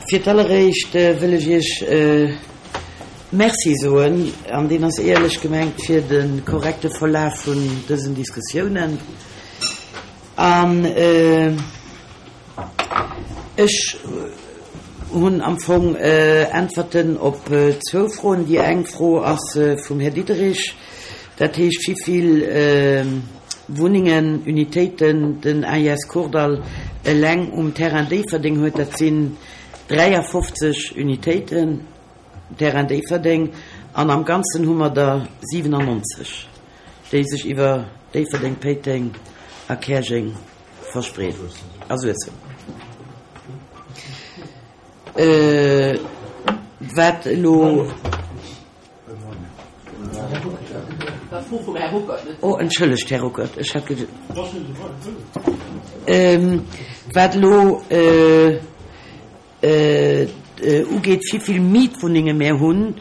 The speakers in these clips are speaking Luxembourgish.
Fir d'alleréischt wëll ech Iech Merci soen, an deen ass éierlech gemengt, fir de korrekte Verlaf vun dësen Diskussiounen. An ech hunn am Fong Äntwerten op zwou Froen. Déi eng Fro ass vum Här Diderich, dat heescht, wivill Wunnengen, Unitéiten den AIS Kordall eleng um Terrain Déifferdeng huet. Dat sinn 53 Unitéiten Terrain Déifferdeng an am Ganzen hu mer der 97, déi sech iwwer Déifferdeng, Péiteng a Käerjeng verspreeden a Suessem. Wat elo. Oh, entschëllegt, Här Ruckert, ech hat ged. Wat elo ugeet, wéi vill Mietwunnenge mär hunn,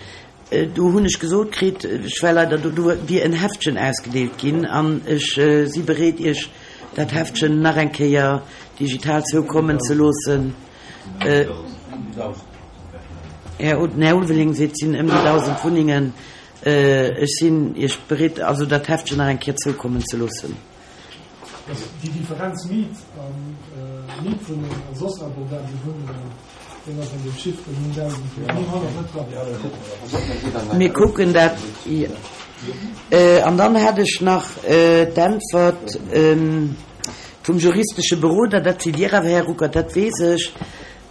do hunn ech gesot kritt, ech war leider do, do wier en Heftchen ausgedeelt ginn an ech si bereet, Iech dat Heftchen nach eng Kéier digital zoukommen ze loossen. Här Ulveling seet, et sinn ëm déi 1.000 Wunnengen. Ech sinn Iech bereet, also dat Heftchen nach eng Kéier zoukommen ze loossen. Déi Differenz Miet a Mietwunneng a soss abordabel Wunnengen, deen ass an deem Chiffre 9.900 net dran. Mir kucken dat. An dann hätt ech nach d'Äntwert vum juristesche Beroder, dat sidd Dir awer, Här Ruckert, dat weess ech.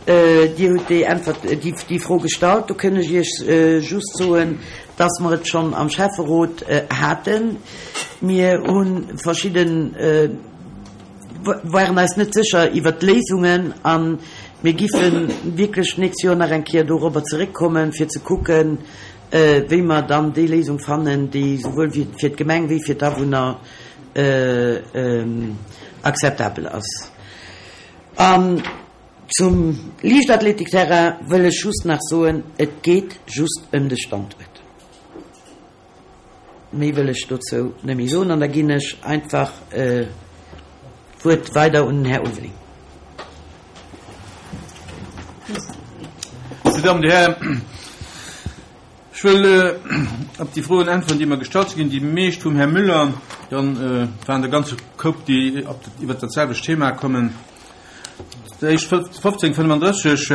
Dir hutt déi Äntwert, déi Fro gestallt. Do kënn ech Iech just soen, dass mer et schonn am Schäfferot haten. Mir hu verschidden, waren eis net sécher iwwert d'Léisungen a mir giffe wierklech d'nächst Joer nach eng Kéier dorobber zeréckkommen, fir ze kucken, wéi mer dann déi Léisung fannen, déi souwuel fir d'Gemeng wéi fir d'Awunner akzeptabel ass. An zum Liichtathletikterrain wëll ech just nach soen, et geet just ëm de Standuert. Méi wëll ech dozou net méi soen an da ginn ech einfach d'Wuert weider un den Här Ulveling. Dir Damen, Dir Hären, ech wëll op déi Froen äntweren, déi mer gestallt si ginn. Déi meescht vum Här Müller, dann waren der e ganze Koup, déi iwwert dat selwecht Thema kommen. D'éischt 1535,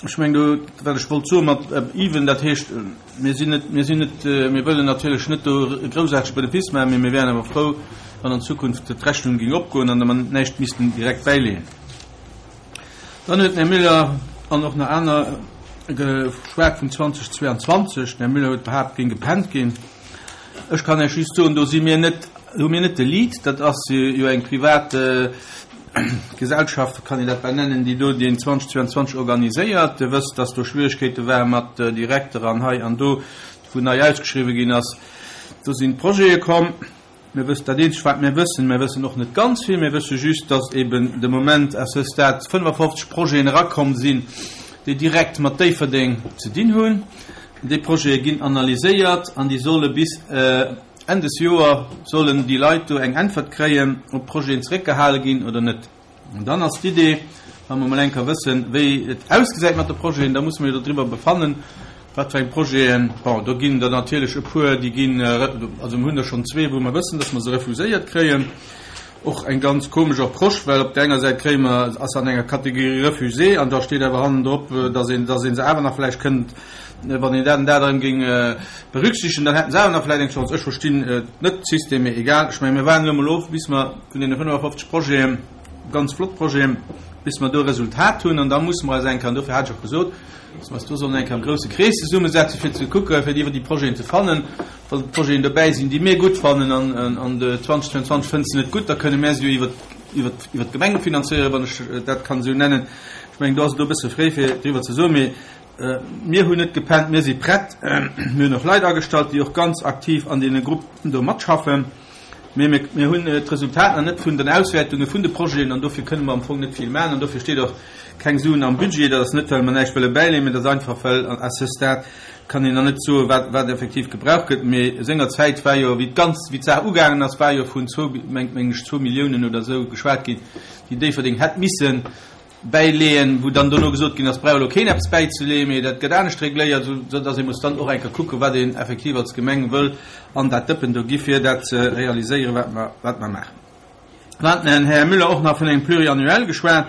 ech mengen do, wat ech wollt soe mat even, dat heescht, mir sinn net, mir sinn net, mir wëllen natierlech net do e groussaartege Benefice maachen, mee mir wären awer frou, wann an Zukunft d'Rechnung géing opgoen an mer näischt missten direkt bäileeën. Dann huet den Här Müller an och nach aner geschwat vun 2022. Den Här Müller huet behaapt, et géing gepennt ginn. Ech kann Iech just soen, do si mir net, hu mir net de Lead. Dat ass jo eng privat Gesellschaft, kann een dat bal nennen, déi do deen 2022 organiséiert. Dir wësst, dass do Schwieregkeete ware mat Direkter an hei an do, wou nei ausgeschriwwen ginn ass. Do sinn d'Projete komm. Mir wëssen, dat eenzegt wat mir wëssen, mir wëssen och net ganz vill, mir wësse just, dass eben de Moment à ce stade 55 Projeten erakomm sinn, déi direkt mat Déifferdeng ze dinn hunn. Déi Projete ginn analyséiert an déi solle bis Enn des Joer sollen déi Leit do eng Äntwert kréien, ob d'Projeten zeréckgehale ginn oder net. An dann ass d'Idee, wa mer emol eng Kéier wëssen, wéi et ausgesäit mat de Projeten, da musse mer jo dodriwwer befannen, wat fir eng Projeten, bon, do ginn der natierlech e puer, déi ginn, also mir hunn der schonn zwee, wou mer wëssen, dass mer se refuséiert kréien. Och eng ganz komesch Approche, well op där enger Säit kréie mer, ass an enger Kategorie refusé an da steet awer hannendrop, dass een, dass ee se awer nach vläicht kënnt, wann een dat an dat erëm géing berücksichtegen, dann hätten se awer nach vläicht eng Chance. Ech verstinn net de System, mee egal. Ech mengen, mir waarden elo emol of, bis mer vun deene 55 Projeten, ganz flott Projeten, bis mer do e Resultat hunn. An da musse mer eis eng Kéier, an dofir hat ech och gesot, dass mer eis do sollen eng Kéier am grousse Krees zesummesetzen, fir ze kucken, fir iwwer déi Projeten ze fannen. Wa Projeten dobäi sinn, déi mir gutt fannen, an de 2022 fënnt se net gutt, da kënne mir se jo iwwer, iwwer, iwwer d'Gemeng finanzéieren, wann ech dat kann esou nennen. Ech mengen, do ass et elo e bësse fréi, fir driwwer ze soen, mee Mir hunn net gepennt, mir si prett. Mir hunn och Leit agestallt, déi och ganz aktiv an deene Gruppen do matschaffen. Mee mir hunn d'Resultat nach net vun den Auswäertunge vun de Projeten an dofir kënne mer am Fong net vill maachen. An dofir steet och keng Suen am Budget. Dat ass net, well mer näischt wëlle bäileeën, mee dat ass einfach, well à ce stade kann een nach net soen, wat, wat effektiv gebraucht gëtt. Mee sengerzäit war jo, wéi d'ganz, wéi d'Saach ugaangen ass, war jo vun zwou, meng ech, zwou Milliounen oder esou geschwat ginn, déi Déifferdeng hätt missen. Bäileeën, wou dann dono gesot ginn ass, brauch elo keen eppes bäizeleeën, mee dat gëtt anescht regléiert, esou dass ee muss dann och eng Kéier kucken, wat een effektiv als Gemeng wëll an dat Dëppen do gi fir dat ze realiséieren, wat mer, wat mer maachen. Dann hat den Här Müller och nach vun engem Pluriannuel geschwat,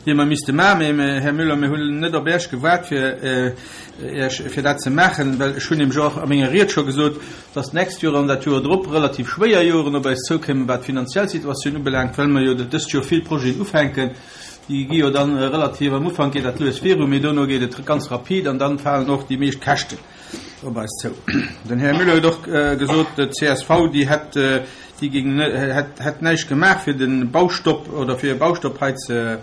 dee mer misste maachen. Mee, Här Müller, mir hunn net op Iech gewaart, fir Iech, fir dat ze maachen, well ech hunn nämlech och a menger Ried scho gesot, dass d'nächst Joer an dat Joer drop relativ schwéier Joren op eis zoukéimen, wat d'finanziell Situatioun ubelaangt, well mer jo dëst Joer vill Projeten ufänken. Déi gi jo dann relativ, am Ufank geet dat lues viru, mee dono geet et ganz rapid an dann falen och déi meescht Käschten op eis zou. Den Här Müller huet och gesot, d'CSV, déi hätt, déi géing, hätt, hätt näischt gemaach fir de Baustopp oder fir e Baustopp hei ze,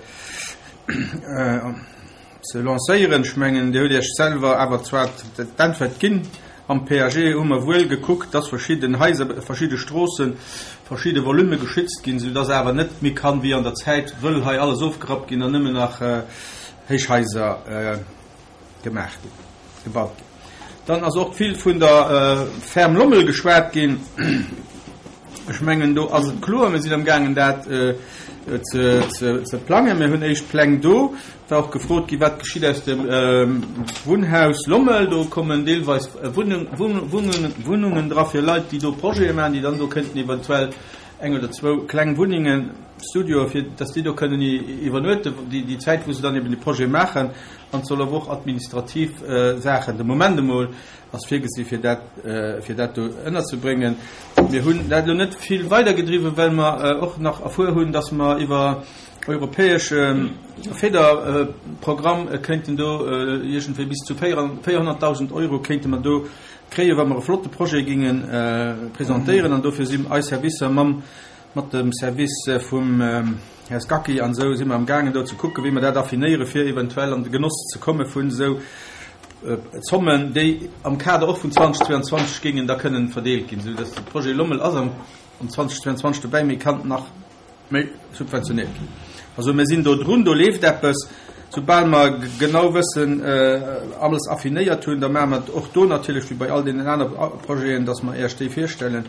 ze lancéieren. Ech mengen, Dir hutt Iech selwer awer zwar d'Äntwert ginn. Am PAG hu mer wuel gekuckt, dass verschidden Haiser, verschidde Stroossen, verschidde Volume geschützt ginn, soudass awer net méi kann, wéi an der Zäit, wëll hei alles ofgerappt ginn an nëmmen nach Héichhaiser gemaach ginn, gebaut ginn. Dann ass och vill vun der Ferme Lommel geschwat ginn. Ech mengen, do ass et kloer, mir sinn amgaangen dat ze plangen. Mir hunn éischt Pläng do. Et war och gefrot ginn, wat geschitt aus dem Wunnhaus Lommel. Do kommen deelweis Wunnungen dra fir Leit, déi do Projete maachen, déi dann do kënnten eventuell eng oder zwou kleng Wunnengen, Studioe, fir datt déi do kënnen iwwernuechten, déi Zäit, wou se dann eben déi Projete maachen. An et soll awer och administrativ Saachen de Moment emol ass virgesi fir dat, fir dat do ënnerzebréngen. Mir hunn dat elo net vill weidergedriwwen, well mer och nach erfuer hunn, datt mer iwwer europäesche Federprogramm kéinten do iergendwéi bis zu 400.000 Euro kéinte mer do kréien, wa mer e flotte Projet géinge presentéieren. An dofir sinn eis Servicer mam, mat dem Service vum Här Scacchi an esou si mer amgaangen do ze kucken, wéi mer dat affinéieren, fir eventuell an de Genoss ze komme vun esou Zommen, déi am Kader och vun 2022 géingen da kënnen verdeelt ginn, esou dass de Projet Lommel ass am 2022 dobäi, mee kann nach méi subventionéiert ginn. Also mir sinn do drun, do leeft eppes. Soubal mer genau wëssen, alles affinéiert hunn, da maache mer et och do natierlech wéi bei all deenen aner Projeten, dass mer Iech déi virstellen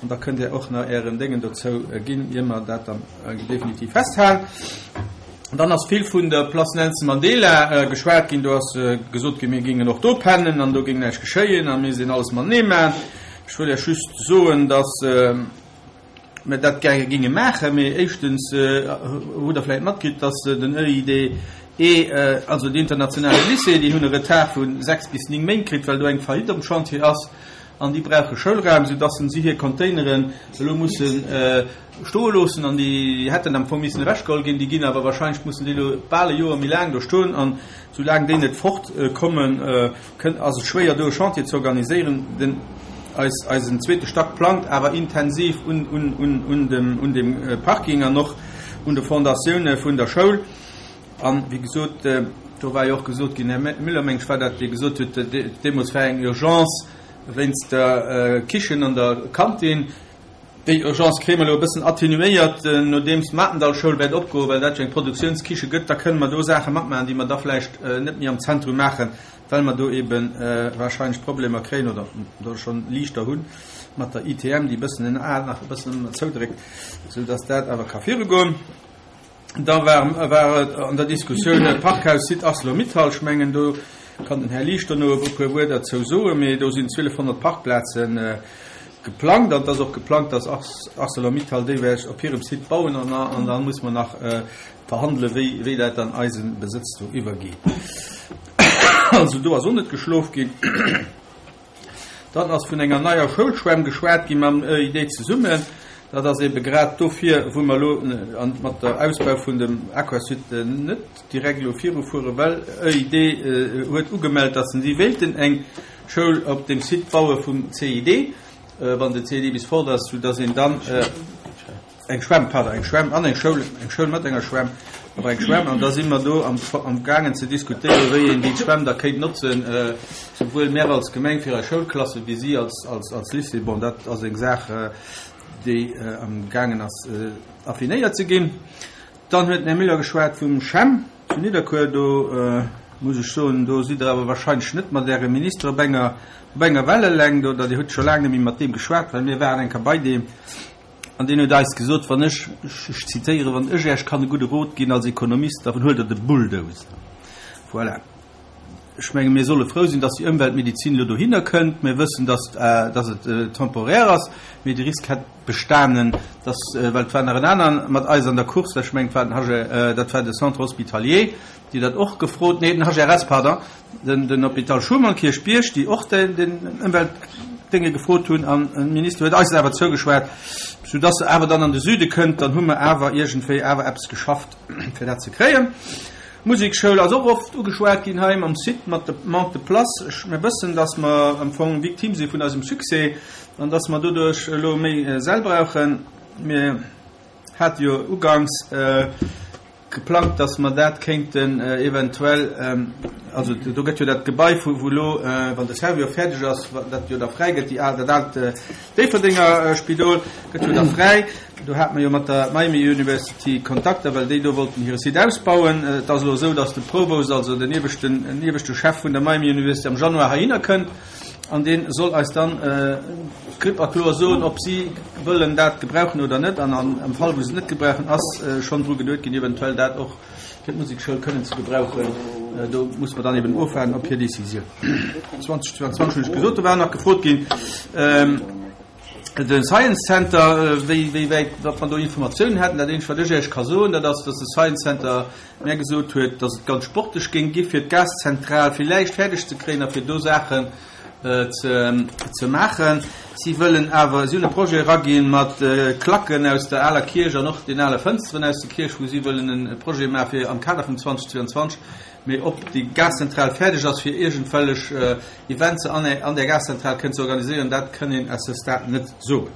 an da kënnt Dir och nach Ären Déngen dozou ginn, ier mer dat dann definitiv festhalen. Dann ass vill vun der Place Nelson Mandela geschwat ginn. Do ass gesot ginn, mir géingen och do pennen an do géing näischt geschéien a mir misst een alles matenee maachen. Ech wëll Iech just soen, dass mer dat gäre géinge maachen, mee éischtens hutt Der vläicht matkritt, dass den EIDE, also den internationale Lycée, déi hunn e Retard vu 6 bis 9 Méint kritt, well do eng Faillite am Chantier ass an déi brauche Schoulraum, soudass si hir Containeren elo musse stoe loossen an déi hätten am Fong missen ewechgeholl ginn, déi ginn awer wahrscheinlech, mussen déi elo bal e Joer méi laang do stoen an soulaang déi net fort kommen, kënn, ass et schwéier do e Chantier ze organiséieren. Den, eis, eisen zweete Stack plangt awer intensiv un, un, un, un dem, un dem Parking an och un de Fondatioune vun der Schoul. An, wéi gesot, do war jo och gesot ginn, Här Müller, meng ech war dat, dee gesot huet, deemools war eng Urgence wéinst der Kichen an der Kantin. Déi Urgence kréie mer elo e bëssen atténuéiert, nodeems d'Matendallschoul wäert opgoen, well dat jo eng Produktiounskiche gëtt. Da kënne mer do Saache matmaachen, déi mer da vläicht net méi am Zentrum maachen, well mer do eebe warscheinlech Problemer kréien oder do schonn liichter hunn mat der ITM, déi e bëssen en A nach e bëssen zoudréckt, soudass dat awer ka virugoen. Da war, war et an der Diskussioun Parkhaus Site Arcelor-Mittal. Ech mengen, do kann den Här Liesch dono e puer Wuert derzou soen. Mee do sinn 1.200 Parkplaze geplangt. An et ass och geplangt, dass Arcelor-Mittal déi wäert op hirem Site bauen. An, an da muss mer nach verhandelen, wéi, wéi dat an eise Besëtz do iwwergeet. Also do ass och net geschlof ginn. Dann ass vun enger neier Schoulschwämm geschwat gi mam ÖID zesummen. Dat ass ebe grad dofir, wou mer elo mat der Ausbau vun dem Aquasud net direkt elo virufueren, well ÖID huet ugemellt, datt si wéilten eng Schoul op deem Site baue vum CID, wann de CID bis fort ass, soudatt een dann, Eng Schwämm, pardon, eng Schwämm an eng Schoul, eng Schoul mat enger Schwämm, awer eng Schwämm. An da si mer do am, am gaangen ze diskutéieren, wéi een déi Schwämm da kéint notzen, souwuel mär als Gemeng fir eis Schoulklassen, wéi si als, als, als Lycée. Bon, dat ass eng Saach, déi am gaangen ass affinéiert ze ginn. Dann huet den Här Müller geschwat vum CHEM zu Nidderkuer. Do muss ech soen, do sidd Der awer wahrscheinlech net mat Ärem Minister op enger, op enger Wellelängt, oder Dir hutt scho laang net méi mat deem geschwat, well mir waren eng Kéier bei deem. An deen huet eis gesot, wann ech, ech zitéieren, wann ech Iech kann e gudde Rot ginn als Ekonomist, da huelt Der de Bulldozer. Voilà. Ech menge mir solle frou sinn, dass déi Ëmweltmedizin elo dohinner kënnt. Mir wëssen, dass, dass et temporaire ass, mee de Risk hätt bestanen, dass, well et war nach en aneren mat eis an der Course, ech mengen et war den HG, dat war de Centre hospitalier, déi dat och gefrot, nee, den HRS, pardon, den, den Hôpital Schuman Kierchbierg, déi och den, den Ëmweltdénge gefrot hunn an de Minister huet eis awer zougeschwat, soudass se awer dann an de Süde kënnt, dann hu mer awer iergendwéi awer eppes geschafft, fir dat ze kréien. D'Musekschoul ass och oft ugeschwat ginn hei mam Site, mat de Manque de place. Ech, mir wëssen, dass mer am Fong Victime si vun eisem Succès an dass mer doduerch elo méi Säll brauchen. Mir hate jo uganks geplangt, dass mer dat kéinten eventuell, also do gëtt jo dat Gebai vu wou elo, wann de Servior fäerdeg ass, dat jo da fräi gëtt, déi al, dat aalt Déifferdenger Spidol gëtt jo da fräi. Do hate mer jo mat der Miami University Kontakter, well déi do wollten hire Site ausbauen. Et ass elo esou, datt de Provost, also den ieweschten, den ieweschte Chef vun der Miami University am Januar heihinner kënnt an dee soll eis dann klipp a kloer soen, ob si wëllen dat gebrauchen oder net. An am Fall, wou se et net gebrauchen, ass schonn dru geduet ginn, eventuell dat och fir d'Musekschoul kënnen ze gebrauchen. Do muss mer dann eben ofwaarden op hir Décisioun. 2022 hunn ech gesot, do war nach gefrot ginn, de Science Center, wéi, wéi wäit, datt mer do Informatiounen hätten. Dat eenzegt, wat ech Iech ka soen, dat ass, datt de Science Center mär gesot huet, datt et ganz sportlech géing gi fir d'Gaszentral villäicht fäerdeg ze kréien a fir do Saachen ze, ze maachen. Si wëllen awer, si hunn e Projet eraginn mat Klacken aus der aler Kierch an och den ale Fënsteren aus der Kierch, wou si wëllen e Projet maache fir am Kader vum 2022, Mee ob déi Gaszentral fäerdeg ass, fir iergendwellech Eventse an där Gaszentral kënnen ze organiséieren, dat kënn een à ce stade net soen.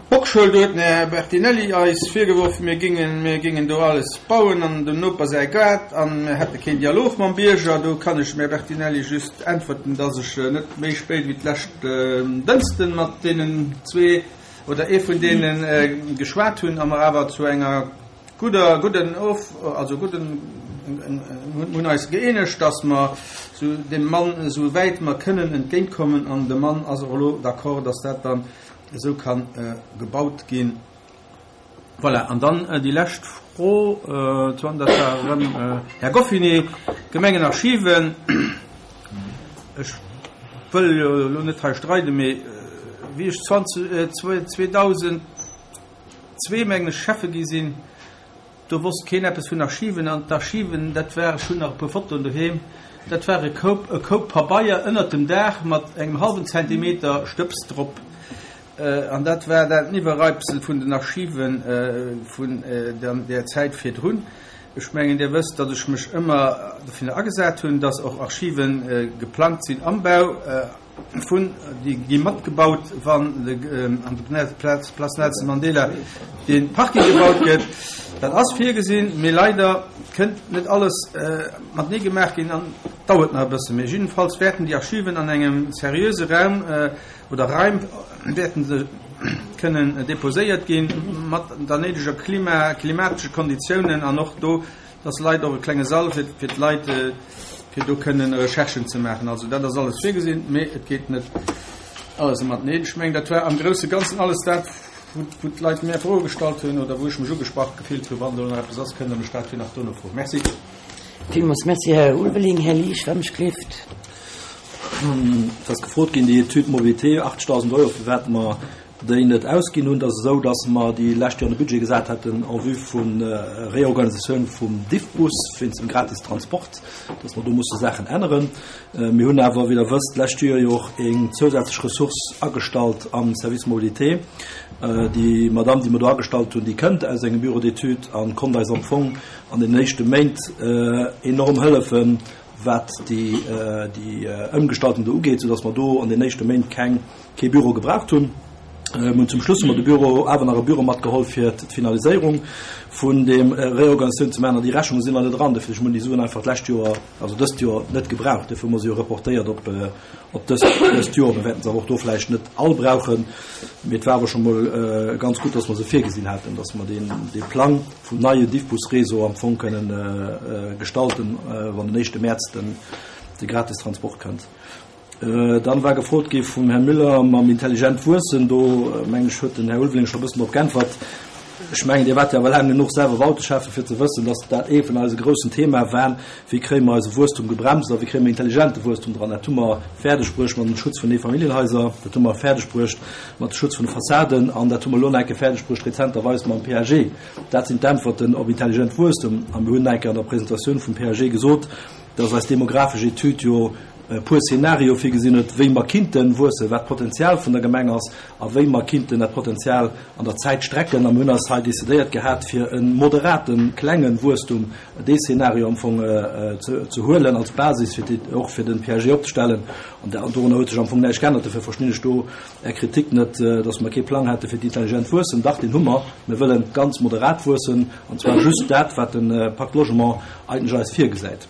Bockschoul, do huet den Här Bertinelli eis virgeworf, mir géingen, mir géingen do alles bauen an dem Noper säi Gaart an mir hätte keen Dialog mam Bierger. Do kann ech dem Här Bertinelli just äntwerten, dass ech net méi spéit wéi d'lescht Dënschden mat deenen zwee oder ee vun deene geschwat hunn a mer awer zu enger Gudder, gudden Of, also gudden, hunn eis gëeenegt, dass mer sou deem Mann esou wäit mer kënnen entgéintkommen an de Mann ass och elo d'accord, dass dat dann esou ka gebaut ginn. Voilà, an dann déi lescht Fro, dat war erëm Här Goffinet, Gemengenarchiven. Ech wëll jo elo net hei streiden, mee wéi ech 20, 2000, 2 mengen ech Schäffe gi sinn, do wosst keen eppes vun Archiven an d'Archiven, dat war, ech hunn nach e puer Fotoen doheem, dat war e Koup, e Koup Pabeier ënnert dem Daach mat engem hallwen Zentimeter Stëbs drop an dat war dat Iwwerreibsel vun den Archive vun där Zäit virdrun. Ech mengen Dir wësst, datt ech mech ëmmer dofir agesat hunn, datt och Archive geplangt sinn am Bau. Vun, déi gi matgebaut, wann an der Place Nelson Mandela dee Parking gebaut gëtt. Dat ass virgesinn, mee leider kënnt net alles matenee gemaach ginn an dauert nach e bëssen. Mee jiddefalls wäerten déi Archiven an engem seriöse Raum oder Raim wäerten se kënnen deposéiert ginn, mat der néideger Klima, klimatesche Konditiounen an och do Dass Leit och e klenge Sall fir fir d'Leit, fir do kënnen Recherchen ze maachen. Also dat ass alles virgesinn, mee et geet net alles mateneen. Ech mengen, dat war am grousse Ganzen alles dat, wou wou d'Leit mär Froe gestallt hunn oder wou ech mech ugesprach gefillt hunn. Wann do nach eppes ass, kënnt Der mech dat jo nach dono froen. Merci. Villmools Merci, Här Ulveling. Här Liesch, wann ech gleeft. Et ass gefrot ginn, déi Étude mobilité, 80.000 Euro, firwat mer déi net ausginn hunn. Et ass esou, datt mer déi lescht Joer an de Budget gesat haten en vue vu Reorganisatioun vum Diffbus wéinst dem gratis Transport, datt mer do musse Saachen änneren. Mir hunn awer, wéi Der wësst, d'lescht Joer jo och eng zousätzlech Ressource agestallt am Service Mobilité. Déi Madamm, déi mer do agestallt hunn, déi kënnt aus engem Bureau d'études a konnt eis am Fong an den éischte Méint enorm hëllefen, wat déi Ëmgestaltung do ugeet, soudatt mer do an den éischte Méint keng kee Büro gebraucht hunn. Mir hunn zum Schluss hu mer de Büro awer nach e Büro matgeholl fir d'Finaliséierung vun deem Reorganisatioun ze maachen. An déi Rechnunge sinn nach net eran, dofir ech hunn déi Suen einfach d'lescht Joer, also dëst Joer net gebraucht. Dofir hu mer se jo reportéiert op op dëst dëst Joer. Mir wäerten se awer och do vläicht net all brauchen, mee et war awer scho mol ganz gutt, datt mer se virgesinn haten, datt mer deen dee Plang vum neie Diffbus-Réseau am Fong kënnen gestalten, wann den éischte Mäerz den de Gratistransport kënnt. Dann war gefrot gi vum Här Müller mam intelligent Wuessen. Do, mengen ech, huet den Här Ulveling scho e bëssen drop geäntwert. Ech mengen, Dir waart jo awer laang genuch selwer Bauteschäffe fir ze wëssen, dass dat ee vun eise groussen Themae war, Wéi kréie mer eise Wuesstum gebremst a wéi kréie mer intelligente Wuesstum dran? Dat hu mer fäerdeg bruecht mat dem Schutz vun Eefamilljenhaiser, dat hu mer fäerdeg bruecht mat dem Schutz vun de Fassaden an dat hu mer elo nach eng Kéier fäerdeg bruecht rezenterweis mam PAG. Dat sinn d'Äntwerten op intelligent Wuesstum. A mir hunn nach eng Kéier an der Presentatioun vum PAG gesot, dass eis demografesch Etüd jo e puer Szenario virgesinn huet, wéi mer kinnte wuessen, wat d'Potenzial vun der Gemeng ass a wéi mer kinnten dat Potenzial an der Zäit strecken. A mir hunn eis hei decidéiert gehat, fir e moderaten, klenge Wuesstum, dee Szenario am Fong ze huelen als Basis, fir déi och fir den PAG opzestellen. An dorunner huet sech am Fong näischt geännert. Dofir verstinn ech do Är Kritik net, dass mer kee Plang hätte fir d'intelligent Wuessen. Dach, deen hu mer. Mir wëlle ganz moderat wuessen, an zwar just dat, wat de Pacte Logement eigentlech eis virgesäit.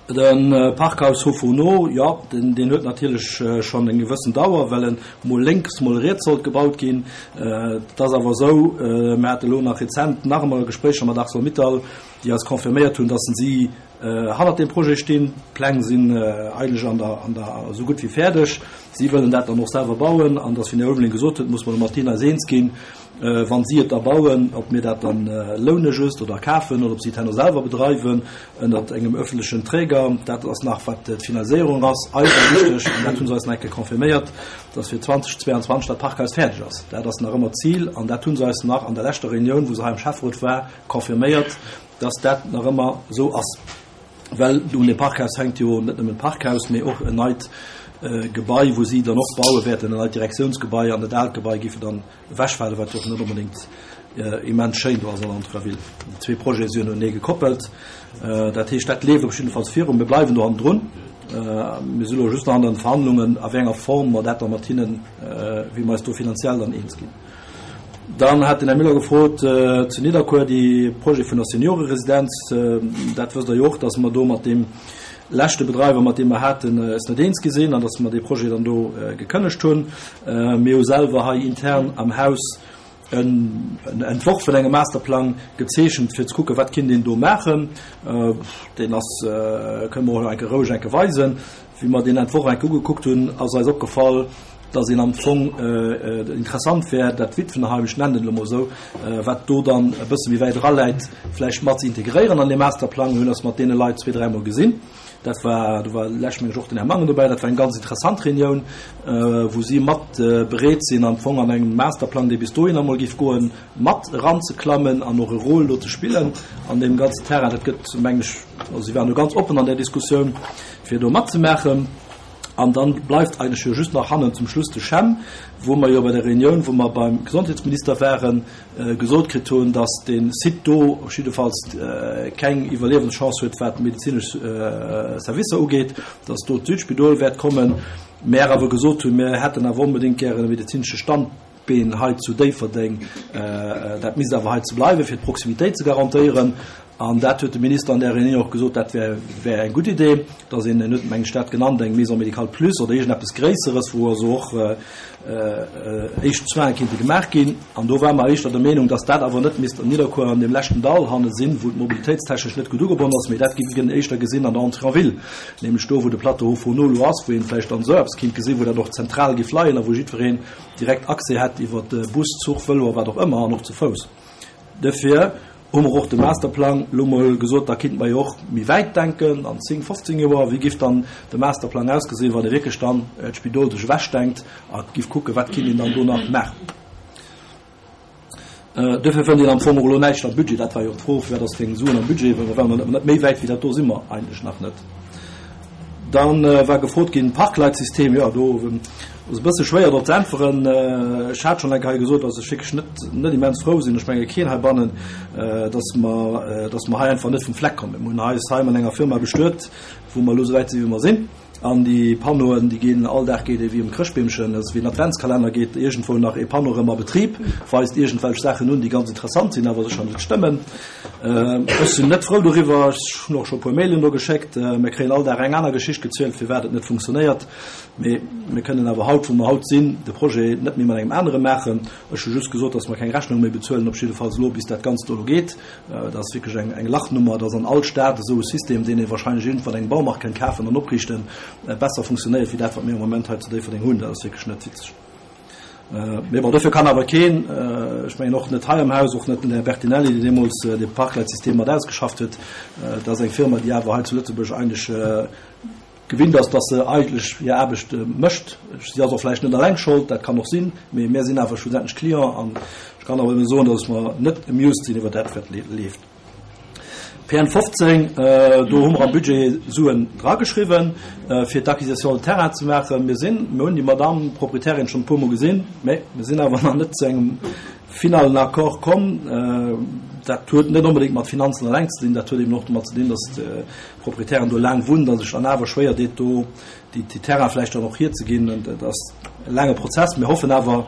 De Parkhaus Haut-Fourneau, jo, deen huet natierlech schonn eng gewëssen Dauer, well en mol lénks, mol riets sollt gebaut ginn. Et ass awer esou, mir hate elo nach rezent nach emol Gespréicher mat Arcelor-Mittal, déi eis confirméiert hunn, dass si hannert deem Projet stinn. D'Pläng sinn eigentlech an der, an der, esou gutt wéi fäerdeg. Si wëllen dat dann och selwer bauen. An dass, wéi den Här Ulveling gesot huet, muss mer elo mat deenen eis eens ginn, Wann si et da bauen, ob mir dat dann loune just oder kafen oder ob si et herno selwer bedreiwen ënnert engem öffentlechen Träger, dat ass nach, wat d'Finaliséierung ass, eis war wichteg, an dat hu se eis nach eng Kéier confirméiert, dass fir 2022 dat Parkhaus fäerdeg ass. Dat ass nach ëmmer d'Zil an dat hu se eis nach an der leschter Reunioun, wou se hei am Schäfferot war, confirméiert, dass dat nach ëmmer esou ass. Well un deem Parkhaus hänkt jo net nëmmen d'Parkhaus, mee och en neit Gebai, wou si dann och baue wäerten, en neit Direktiounsgebai, an dat aalt Gebai géife dann ewechfalen, wat jo och net onbedéngt immens schéin do ass an der Entrée-ville. Déi zwee Projete si jo noenee gekoppelt. Dat heescht, dat leeft op jiddefalls virun. Mir bleiwen do hannendrun. Mir si elo just nach an den Verhandlungen, a wéi enger Form mer dat da mat hinnen, wéi mer eis do finanziell dann eens ginn. Dann hat den Här Müller gefrot zu Nidderkuer, déi Projet vun der Senioreresidenz. Dat wësst Der jo och, dass mer do mat deem leschte Bedreiwer, mat deem mer haten, eis net eens gi sinn an dass mer dee Projet dann do gekënnegt hunn. Mir hu selwer hei intern am Haus en Entworf vun engem Masterplang gezeechent, fir ze kucken, wat kinnt een do maachen. Deen ass, kënne mer och elo eng Kéier roueg eng Kéier weisen. Wéi mer deen Entworf eng Kéier ugekuckt hunn, ass eis opgefall, dass een am Fong interessant wär, dat Witwenheim, ech nennen et elo mol esou, wat do dann e bësse méi wäit eraläit, vläicht mat ze integréieren an dee Masterplang. Mir hunn eis mat deene Leit zwee, dräimol gesinn. Dat war, do war lech meng ech och den Här Mangen dobäi, dat war eng ganz interessant Reunioun, wou si mat bereet sinn, am Fong an engem Masterplang, dee bis dohinner emol géif goen, mat eranzeklammen an och e Rôle do ze spillen an deem ganzen Terrain. Dat gëtt, meng ech, also si waren do ganz oppen an där Diskussioun, fir do matzemaachen. An dann bleift eigentlech jo just nach hannen zum Schluss de CHEM, wou mer jo bei der Reunioun, wou mer beim Gesondheetsminister waren, gesot kritt hunn, dass dee Site do op jiddefalls keng Iwwerliewenschance huet, wat d'medezinesch Servicer ugeet, dass do d'Südspidol wäert kommen, mä awer gesot hunn, mir hätten awer onbedéngt gären e medezinesche Standbeen hei zu Déifferdeng. Dat misst awer hei ze bleiwen, fir d'Proximitéit ze garantéieren. An dat huet de Minister an där Reunioun och gesot, dat wär, wär eng gutt Idee, dass een, en huet meng ech dat genannt, eng Maison médicale plus oder iergendeppes Gréisseres, wou also och éischt Soine kinnte gemaach ginn. An do ware mer éischter der Meenung, dass dat awer net misst an Nidderkuer an deem leschten Dall hanne sinn, wou et mobilitéitstechnesch net gutt ugebonnen ass, mee dat géif een éischter gesinn an der Entrée en ville, nämlech do, wou de Plateau Haut Fourneau elo ass, wou een vläicht dann esou eppes kinnt gesinn, wou dat och zentral géif leien a wou jiddwereen direkt Accès hätt iwwer Bus, Zuch, Vëlo a wat och ëmmer an och ze Fouss. Duerfir hu mer och de Masterplang elo mol gesot, da kinnte mer jo och méi wäit denken, an 10, 15 Joer, wéi giff dann de Masterplang ausgesinn, wann ee wierklech dann d'Spidol sech ewechdenkt a giff kucken, wat kinnt een dann do nach maachen. Duerfir fënnt een am Fong och elo näischt am Budget. Dat war jo och d'Fro, firwat ass keng Suen am Budget, well mer net méi wäit wéi dat do si mer eigentlech nach net. Dann war gefrot ginn, Parkleitsystem, jo do ass e bësse schwéier drop ze äntweren. Ech hat schonn eng Kéier hei gesot, datt ech wierklech net, net immens frou sinn, ech menge keen heibannen, datt mer, datt mer hei einfach net vum Fleck kommen. Mir hunn eis hei mat enger Firma bestuet, wou mer elo esou wäit sinn, wéi mer sinn. An déi Panneauen, déi ginn, all Dag geet ee wéi um Chrëschtbeemchen, dat ass wéi en Adventskalenner, geet iergendwou nach ee Panneau erëm a Betrib, weist iergendwelch Saachen un, déi ganz interessant sinn, awer sécher net stëmmen. Ech sinn net frou doriwwer. Ech hunn och scho e puer Mailen do geschéckt. Mir kréien all Dag eng aner Geschicht gezielt, firwat et net funktionéiert. Mee mir kënnen awer haut, wou mer haut sinn, de Projet net méi mat engem anere maachen. Ech hu just gesot, datt mer keng Rechnung méi bezuelen, op jiddefalls elo, bis dat Ganzt do elo geet. Dat ass wierklech eng Lachnummer. Dat ass an all Stad esou e System, deen ee wahrscheinlech iergendwann engem Baumarkt kënnt kafen an opriichten. besser funktionéiert wéi dat, wat mir am Moment hei zu Déifferdeng hunn. Dat ass wierklech net witzeg. Mee bon, dofir kann awer keen, ech mengen och net hei am Haus, och net den Här Bertinelli, deen deemools dee Parkleitsystem mat ausgeschafft huet, dat ass eng Firma, déi awer hei zu Lëtzebuerg eigentlech gewinnt ass, dass se eigentlech hir Aarbecht mécht. Si ass och vläicht net eleng Schold, dat kann och sinn, mee mir sinn awer schlussendlech Client an ech kann awer nëmme soen, dass mer net amused sinn iwwer dat, wat leeft. PN 15, do hu mer am Budget Suen drageschriwwen, fir d'Acquisition de terrain ze maachen. Mir sinn, mir hunn déi Madamm Proprietärin schonn e puermol gesinn, mä mir sinn awer nach net zu engem finalen Accord komm. Dat huet net onbedéngt mat Finanzen eleng ze dinn, dat huet eben och domat ze dinn, dass d'Proprietärin do laang wunnt a sech dann awer schwéier deet, do déi Terraine vläicht dann och hierzeginn. Dat ass e laange Prozess. Mir hoffen awer,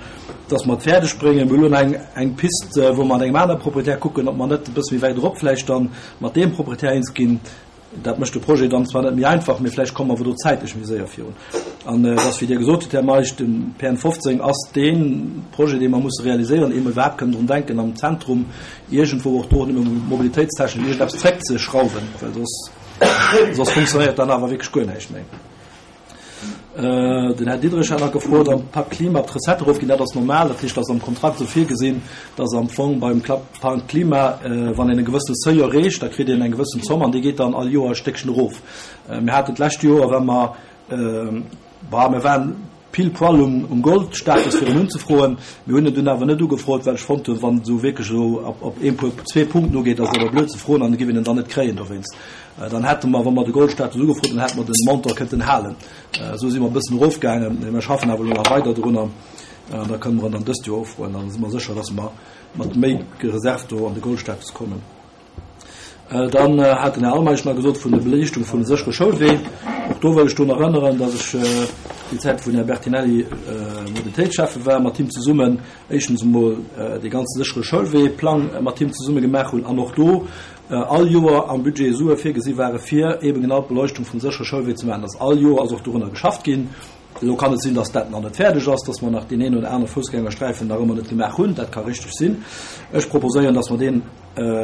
dass mer et fäerdeg bréngen. Mir hunn elo eng, eng Piste, wou mer mat engem anere Proprietär kucken, ob mer net e bësse méi wäit erop vläicht dann mat deem Proprietär eens ginn. Dat mécht de Projet dann zwar net méi einfach, mee vläicht komme mer awer do zäitlech méi séier virun. An et ass, wéi Dir gesot hutt, Här Meisch, de PN 15 ass dee Projet, dee mer musse realiséieren, ehe mer iwwerhaapt kënnen drun denken, am Zentrum iergendwou och do nëmme mobilitéitstechnesch iergendeppes zréckzeschrauwen, well soss, soss funktionéiert dann awer wierklech guer näischt méi. Den Här Diderich hat nach gefrot, am Pakt Klima, ob d'Recettë erofginn. Dat ass normal. Dat heescht, dat ass am Kontrakt esou virgesinn, dass am Fong beim Pakt Klima, wann een e gewëssene Seuil erreecht, da kritt een eng gewëssen Zomm an déi geet dann all Joer e Stéckchen erof. Mir haten d'lescht Joer, well mer, bah, mir waren pile poil um Goldstatus fir en unzefroen. Mir hunn en dunn awer net ugefrot, well ech fonnt hunn, wann et esou wierklech esou op een, puer, zwee Punkten ugeet, ass et awer blöd ze froen an da giff een en dann net kréien dowéinst. Dann hätte mer, wa mer de Goldstatus ugefrot hunn, hätte mer den Montant kënnten halen. Esou si mer e bëssen erofgaangen, mee mir schaffen awer elo nach weider dorunner an da kënne mer en dann dëst Joer ufroen. Dann si mer sécher, dass mer mat méi Reserv do an de Goldstatus kommen. Dann hat den Här Almeisch nach gesot vun der Beliichtung vun de séchere Schoulwee. Och do wëll ech drun erënneren, dass ech déi Zäit, wou den Här Bertinelli Mobilitéitsschäffe war, mat him zesummen éischtens emol dee ganze séchere Schoulwee-Plang mat him zesumme gemaach hunn an och do all Joer am Budget Sue virgesi ware fir eebe genau d'Beleuchtung vum séchere Schoulwee ze maachen. Dass all Joer ass och dorunner geschafft ginn. Elo kann et sinn, dass dat nach net fäerdeg ass, dass mer nach deen een oder anere Foussgängersträifen nach ëmmer net gemaach hunn. Dat ka richteg sinn. Ech proposéieren, dass mer dee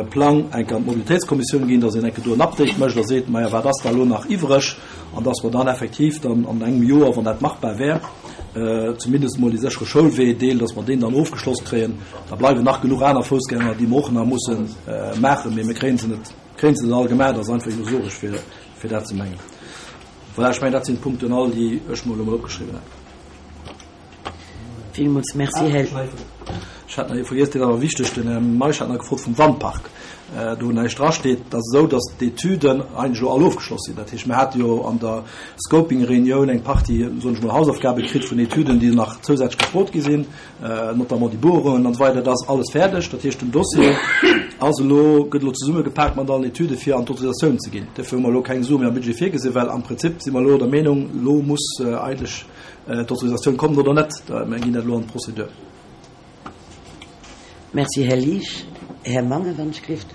Plang eng Kéier an d'Mobilitéitskommissioun ginn, dass een eng Kéier do en Update mécht a seet, Maja, wat ass da elo nach iwwreg? An dass mer dann effektiv dann an engem Joer, wann dat machbar wär, zumindest emol dee séchere Schoulwee-Deel, dass mer deen dann ofgeschloss kréien. Da bleiwen nach genuch aner Foussgänger, déi mer och nach musse maachen, mee mir kréie se net, kréie se net all gemaach. Dat ass einfach illusoresch, fir dat ze mengen. Voilà, ech mengen, dat sinn d'Punkten all, déi ech mer elo mol opgeschriwwen hat. Villmools Merci, Här. Ech hat nach ee vergiess, deen ass awer wichteg, den Här Meisch hat nach gefrot vum Wandpark. Do näischt drasteet. Et ass esou, datt d'Etüden eigentlech elo all ofgeschloss sinn. Dat heescht, mir hate jo an der Scoping-Reunioun eng Partie, soen ech mol, Hausaufgabe kritt vun Etüden, déi nach zousätzlech gefrot gi sinn. notamment déi Bohrungen an esou weider, dat ass alles fäerdeg. Dat heescht, den Dossier ass elo, gëtt elo zesummegepaakt mat allen Etüde fir an d'Autorisatioun ze ginn. Duerfir hu mer elo keng Sue méi am Budget virgesinn, well am Prinzip si mer elo der Meenung, elo muss eigentlech d'Autorisatioun kommen oder net. Mir ginn dat elo an d'Procédure. Merci, Här Liesch. Här Mangen, wann ech gelift.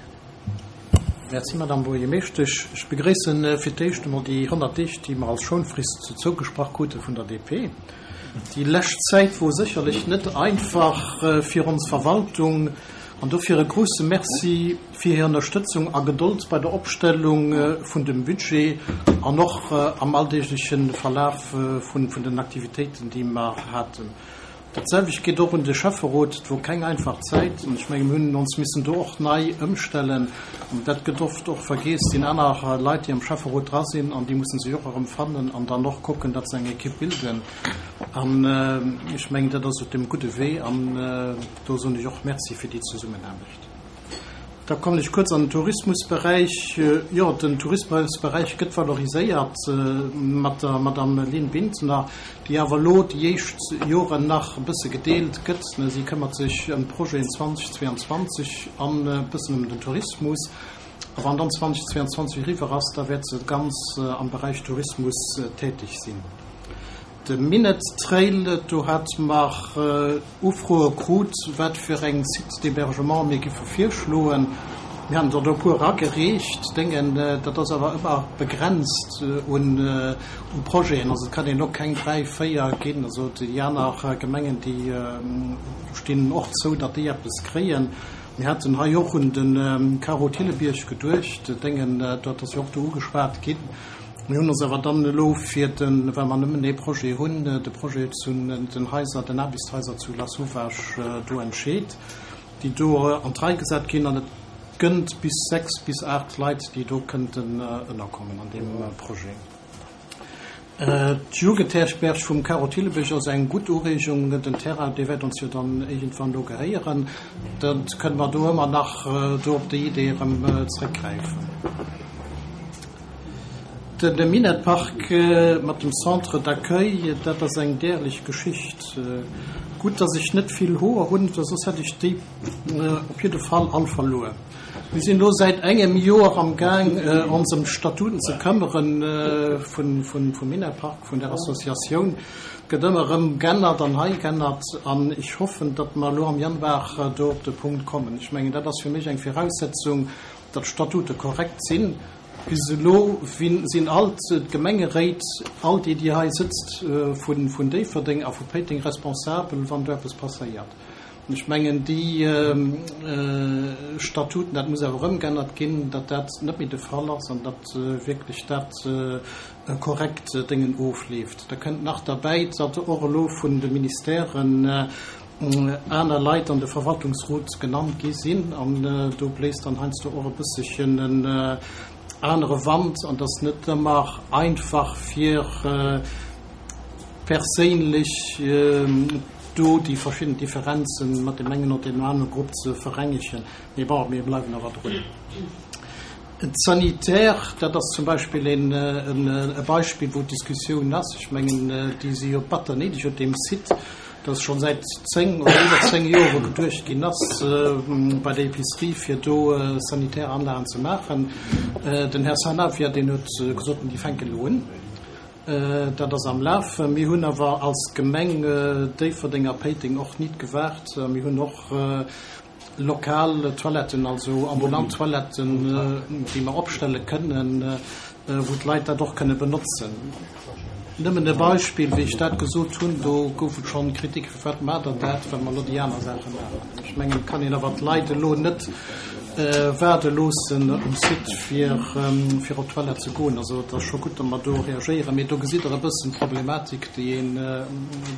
Merci, Madame Buergermeeschtesch. Ech begréissen fir d'éischt emol déi 100 Deeg, déi mer als Schounfrist zougesprach krute vun der DP. Déi lescht Zäit wor sécherlech net einfach fir ons Verwaltung an dofir e grousse Merci fir hir Ënnerstëtzung a Gedold bei der Opstellung vun dem Budget an och am alldeegleche Verlaf vun den Aktivitéiten, déi mer haten. Dat selwecht geet och un de Schäfferot. Et wor keng einfach Zäit an ech menge mir hunn ons missen do och nei ëmstellen. An dat gëtt oft och vergeess, et sinn aner Leit, déi am Schäfferot dra sinn an déi musse sech och erëm fannen an dann och kucken, datt se eng Ekipp bilden. An ech mengen, dat ass op deem gudde Wee an do soen ech och Merci fir déi Zesummenaarbecht. Da kommen ech kuerz an den Tourismusberäich. Jo, den Tourismusberäich gëtt valoriséiert mat der Madame Lynn Bintner, déi awer elo déi éischt Joren nach e bësse gedeelt gëtt. Si këmmert sech ëm d'Projeten 2022 an e bëssen ëm den Tourismus. A wann dann 2022 eriwwer ass, da wäert se ganz am Beräich Tourismus tätig sinn. De Minett Trail, do hate mer Ufroe krut, wat fir eng Sites d'hébergement mir giffe virschloen. Mir haten der do e puer eragereecht. Denken, dat ass awer ëmmer begrenzt un Projeten. Also et kann een elo keng dräi, véier ginn. Also déi aner Gemengen, déi stinn och zou, datt déi eppes kréien. Mir haten hei och un de Carreau Thillebierg geduecht. Denken, dat ass jo och do ugeschwat ginn. Mir hunn ons awer dann elo fir den, well mer nëmmen ee Projet hunn, de Projet zu den Haiser, den Aarbechtshaiser zu Lasauvage do entscheet, déi do an d'Rei gesat ginn. An et gënnt bis 6 bis 8 Leit, déi do kënnten ënnerkommen an deem Projet. D'Jugendherberg vum Caro Thillebisch ass eng gutt Ureegung. Den Terrain, dee wäert ons jo dann iergendwann do gehéieren. Da kënne mer do ëmmer nach do op déi Idee erëm zréckgräifen. De Minett-Park mat dem Centre d'accueil, dat ass eng därlech Geschicht. Gutt, dass ech net vill Hoer hunn, well soss hätt ech déi op jidde Fall all verluer. Mir sinn elo säit engem Joer am Gaang, ons ëm d'Statuten ze këmmere vum Minett-Park, vun der Associatioun. Et gëtt ëmmer erëm g'ännert an hei g'ännert an ech hoffen, datt mer elo am Januar do op de Punkt kommen. Ech mengen, dat ass fir mech eng Viraussetzung, datt d'Statute korrekt sinn. Bis elo sinn all d'Gemengeréit, all déi, déi hei sëtzt, vun Déifferdeng a vu Péiteng responsabel, wann do eppes passéiert. An ech mengen, déi Statuten, dat muss awer ëmgännert ginn, datt dat net méi de Fall ass an datt wierklech dat korrekt Déngen ofleeft. Da kënnt nach derbäi, datt och elo vun de Ministèren aner Leit an de Verwaltungsrot genannt gi sinn an do bléist dann heiansdo och e bësselchen en anere Wand an et ass net ëmmer einfach fir perséinlech do déi verschidden Differenze mat deem engen oder deem anere Grupp ze verengegen. Mee bon, mir bleiwen awer drun. D'Sanitaire, dat ass zum Beispill e Beispill, wou d'Diskussioun ass. Ech mengen, déi si jo batter néideg op deem Site, dass scho säit 10 oder iwwer 10 Jore geduecht ginn ass, bei der Épicerie, fir do sanitär Anlagen ze maachen. Den Här Sanavia, deen huet gesot, déi fänken elo un. Dat ass am Lafen. Mir hunn awer als Gemeng Déifferdeng a Péiteng och nit gewaart. Mir hunn och Lokal Toiletten, also ambulant Toiletten, déi mer opstelle kënnen, wou d'Leit dat och kënne benotzen. Nëmmen e Beispill, wéi ech dat gesot hunn, do gouf et schonn Kritik, Firwat maacht Der dat, wa mer elo déi aner Saache maachen? Ech mengen, et kann een awer d'Leit elo net waarde loossen um Site, fir fir op d'Toilette ze goen. Also et ass scho gutt, datt mer do reagéieren. Mee do gesitt Der e bëssen d'Problematik, déi een e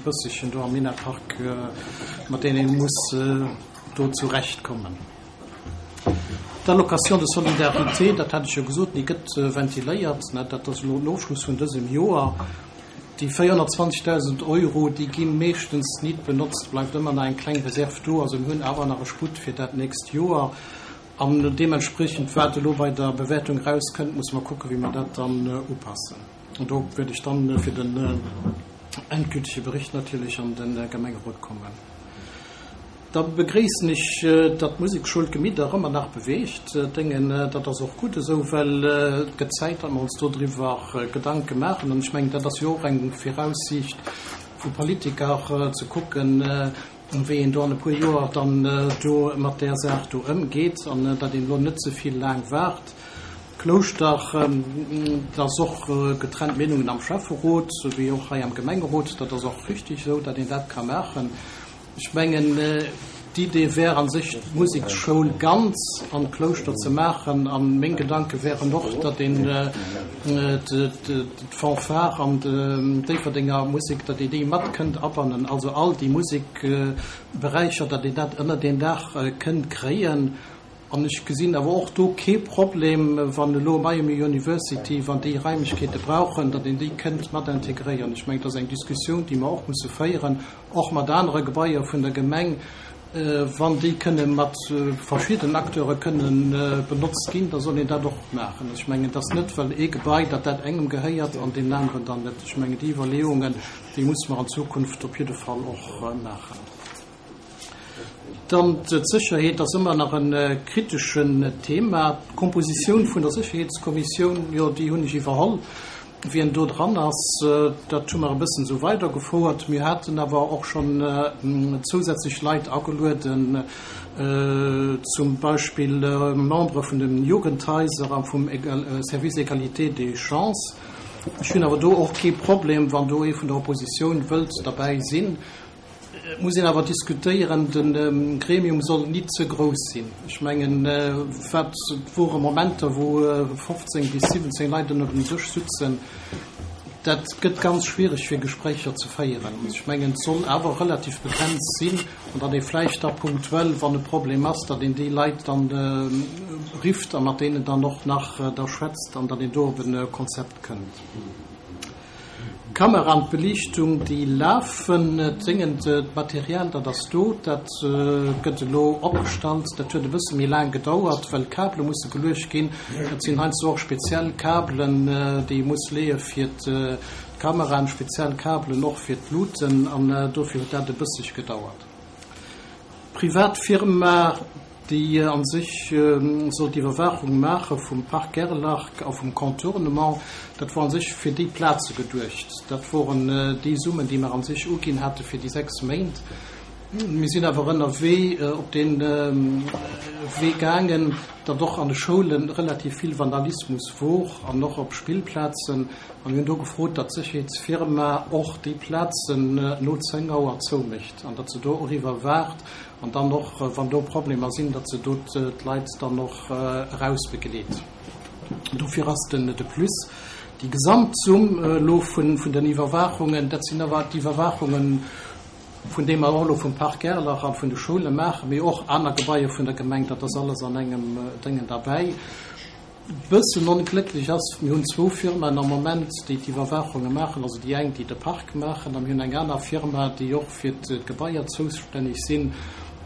bësselchen do am Minetpark mat deenen ee muss do zurecht kommen. D'Allocation de solidarité, dat hat ech jo gesot, déi gëtt ventiléiert, dat ass elo den Ofschluss vun dësem Joer. Déi 420.000 Euro, déi gi meeschtens nit benotzt, bleift ëmmer nach eng kleng Reserv do. Also mir hunn awer nach e Sputt fir dat nächst Joer. An deementspriechend, wat elo bei der Bewäertung erauskënnt, musse mer kucken, wéi mer dat dann upassen. An do wäert ech dann fir den endgültege Bericht natierlech an de Gemengerot kommen. Da begréissen ech, datt d'Musekschoul d'Gemidder ëmmer nach beweegt. Déngen, dat ass och gutt esou, well et gëtt Zäit, datt mer ons dodriwwer Gedanke maachen. An ech mengen, dat ass jo och eng Viraussiicht vu Politiker, ze kucken, wéi een do an e puer Joer dann do mat där Saach do ëmgeet an datt een elo net ze vill laang waart. Klouschter, et ass och getrennt Meenungen am Schäfferot wéi och hei am Gemengerot. Dat ass och richtig esou, datt een dat ka maachen. Ech mengen, d'Idee wär a sech, d'Museksschoul ganz an d'Klouschter ze maachen. A meng Gedanke wären och, datt een d'Fanfare an d'Déifferdenger Musek, datt een déi mat kënnt abannen, also all déi Musekberäicher, datt een dat ënnert een Daach kënnt kréien. An ech gesinn awer och do kee Problem, wann elo Miami University, wann déi Raimlechkeete brauchen, datt een déi kënnt mat integréieren. Ech mengen, dat ass eng Diskussioun, déi mer och musse féieren, och mat anere Gebaier vun der Gemeng, wann déi kënne mat verschiddenen Acteure kënne benotzt ginn, da soll een dat och maachen. Also ech mengen, et ass net, well ee Gebai, datt dat engem gehéiert an deem aneren dann net. Ech mengen, déi Iwwerleeungen, déi musse mer an Zukunft op jidde Fall och maachen. Dann d'Sécherheet ass ëmmer nach e kriteschen Thema. D'Kompositioun vun der Sécherheetskommissioun, jo, déi hunn ech iwwerholl. Wien do dran ass, dat hu mer e bëssen esou weidergefouert. Mir haten awer och schonn zousätzlech Leit agelueden, zum Beispill Membere vun de Jugendhaiser a vum Service Égalité des chances. Ech hunn awer do och kee Problem, wann do ee vun der Oppositioun wëllt derbäi sinn. Et muss een awer diskutéieren, de Gremium soll nit ze grouss sinn. Ech mengen, wat et wore Momenter, wou 15 bis 17 Leit ënner dem Dësch sutzen, dat gëtt ganz schwierig, fir Gespréicher ze féieren. Ech mengen, et soll awer relativ begrenzt sinn an datt ee vläicht da punktuell, wann e Problem ass, datt een déi Leit dann rifft a mat deenen dann och nach da schwätzt an datt een do op e Konzept kënnt. D'Kamera an d'Beliichtung, déi lafen. D'Déngen, d'Material, dat ass do, dat gëtt elo opgestallt. Dat huet e bësse méi laang gedauert, well Kabele musse geluecht ginn. Dat sinn heiansdo och speziell Kabelen, déi ee muss leeë fir d'Kameraen, speziell Kabelen och fir d'Luten an dofir huet dat e bësseg gedauert. Privat Firma, déi a sech soll d'Iwwerwaachung maache vum Parc Gerlach a vum Contournement. Dat wor a sech fir déi Plaze geduecht. Dat woren déi Summen, déi mer a sech uginn hate fir déi 6 Méint. Mir sinn awer ënnerwee op dee Wee gaangen, datt och an de Schoule relativ vill Vandalismus wor an och op Spillplazen. A mir hunn do gefrot, datt d'Sécherheetsfirma och déi Plazen no 10 Auer zoumécht an datt se do och iwwerwaacht An dann och, wann do Problemer sinn, datt se do d'Leit dann och erausbegleet. Dofir ass den de Plus. Déi Gesamtsumm elo vun den Iwwerwaachungen, dat sinn awer d'Iwwerwaachungen, vun deem mer och elo vum Parc Gerlach a vun de Schoule maachen, mee och aner Gebaier vun der Gemeng, dat ass alles an engem Déngen derbäi. Bëssen onglécklech ass, mir hunn zwou Firmaen am Moment, déi d'Iwwerwaachunge maachen, also déi eng, déi de Park maachen, a mir hunn eng aner Firma, déi och fir d'Gebaier zoustänneg sinn.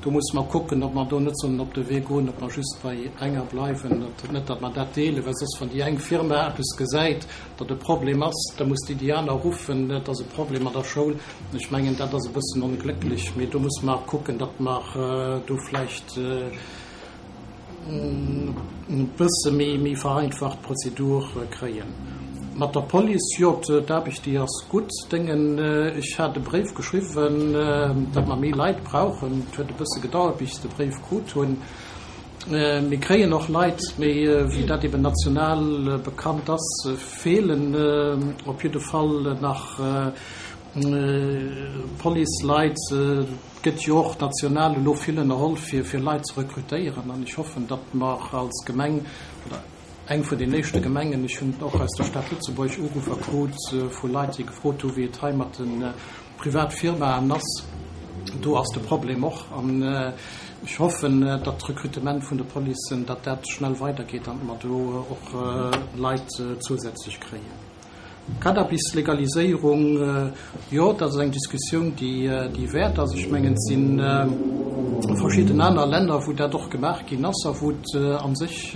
Do musse mer kucken, ob mer do net sollen op de Wee goen, ob mer just bei enger bleiwen, net datt mer dat deelen, well soss, wann déi eng Firma eppes gesäit, datt e Problem ass, da muss déi déi aner ruffen, et ass e Problem an der Schoul. Ech mengen, dat ass e bëssen onglécklech, mee do musse mer kucken, datt mer do vläicht, e bësse méi vereinfacht Prozedur kréien. Mat der Police, jo, d'Aarbecht, déi ass gutt. Déngen, ech hat e Bréif geschriwwen, datt mer méi Leit brauchen. Et huet e bësse gedauert, bis ech de Bréif krut hunn. Mir kréien och Leit, mee wéi dat eben national bekannt ass, feelen op jidde Fall nach Policeleit. Et gëtt jo och national elo vill ënnerholl, fir fir Leit ze rekrutéieren. An ech hoffen, datt mer als Gemeng oder eng vun den éischte Gemengen, ech hunn och aus der Stad Lëtzebuerg Uruffer krut vu Leit, déi gefrot hu wéi et hei mat de Privatfirmaen ass, do ass de Problem och. An ech hoffen, datt d'Rekrutement vun de Policen, datt dat schnell weidergeet an mer do och Leit zousätzlech kréien. Cannabis-Legaliséierung, jo, dat ass eng Diskussioun, déi wäert ass. Ech mengen, et si verschidden aner Länner, wou dat och gemaach ginn ass a wou et a sech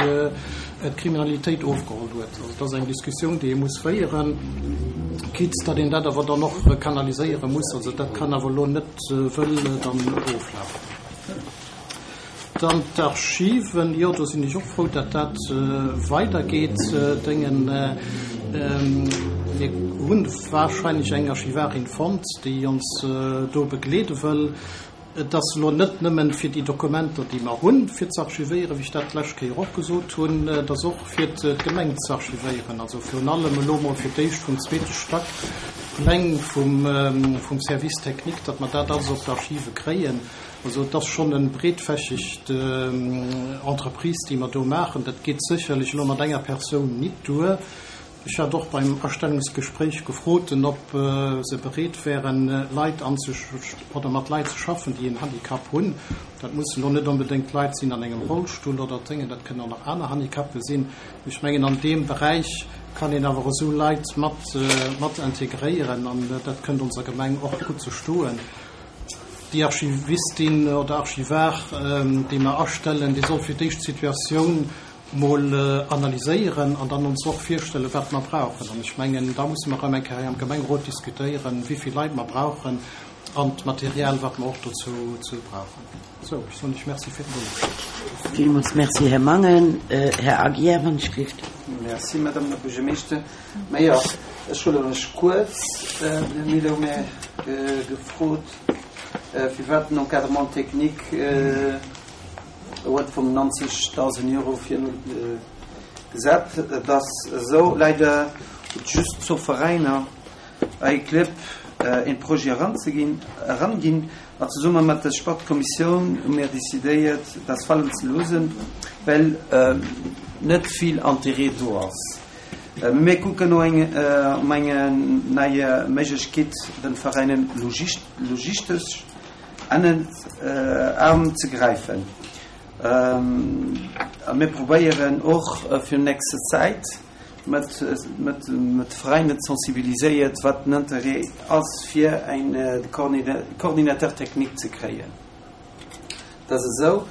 d'Kriminalitéit ofgeholl huet. Also et ass eng Diskussioun, déi ee muss féieren, quitte datt een dat awer dann och kanaliséiere muss. Also dat kann awer elo net wëll dann oflafen. Dann d'Archiven, jo, do sinn ech och frou, datt dat weidergeet. Déngen, mir hu wahrscheinlech eng Archivarin fonnt, déi ons do begleede wëll. Et ass elo net nëmmen fir déi Dokumenter, déi mer hunn, fir ze archivéieren, wéi ech dat d'lescht Kéier och gesot hunn, et ass och fir d'Gemeng ze archivéieren, also virun allem elo mol fir d'éischt vum zweete Stack d'Pläng vum Service technique, datt mer dat alles op d'Archive kréien. Also et ass schonn e breetfächegt Entreprise, déi mer do maachen. Dat geet sécherlech elo mat enger Persoun nit duer. Ech hat och beim Astellungsgespréich gefrot, ob se bereet wären, Leit oder mat Leit ze schaffen, déi en Handicap hunn. Dat mussen elo net onbedéngt Leit sinn an engem Rollstull oder Déngen, dat kënnen och nach aner Handicape sinn. Ech mengen, an deem Beräich kann een awer esou Leit mat integréieren an dat kënnt onser Gemeng och gutt ze stoen. Déi Archivistin oder Archivar, déi mer astellen, déi soll fir d'éischt d'Situatioun mol analyséieren an dann ons och virstellen, wat mer brauchen. An ech mengen, da musse mer erëm eng Kéier hei am Gemengerot diskutéieren, wéi vill Leit mer brauchen an d'Material, wat mer och dozou brauchen. Sou, ech soen lech Merci fir d'Nolauschteren. Villmools Merci, Här Mangen. Här Aguiar, wann ech gelift. Merci, Madame la Buergermeeschter. Majo, ech huelen mech kuerz. Den Här Mille hu mir gefrot, firwat den Encadrement technique huet vum 90.000 Euro virgesat. Et ass esou, leider huet just zwou Veräiner hei Clibb een Projet eranzeginn, eranginn. A zesumme mat der Sportkommissioun hu mir decidéiert, dat falen ze loosen, well net vill Interêt do ass. Mir kucken no eng um eng nei Méiglechkeet, den Veräinen logistesch ënnert Aarm ze gräifen. A mir probéieren och fir nächste Zäit mat mat Veräinen ze sensibiliséiert, wat den Interêt ass fir en Coordinateur technique ze kréien. Dat ass esou.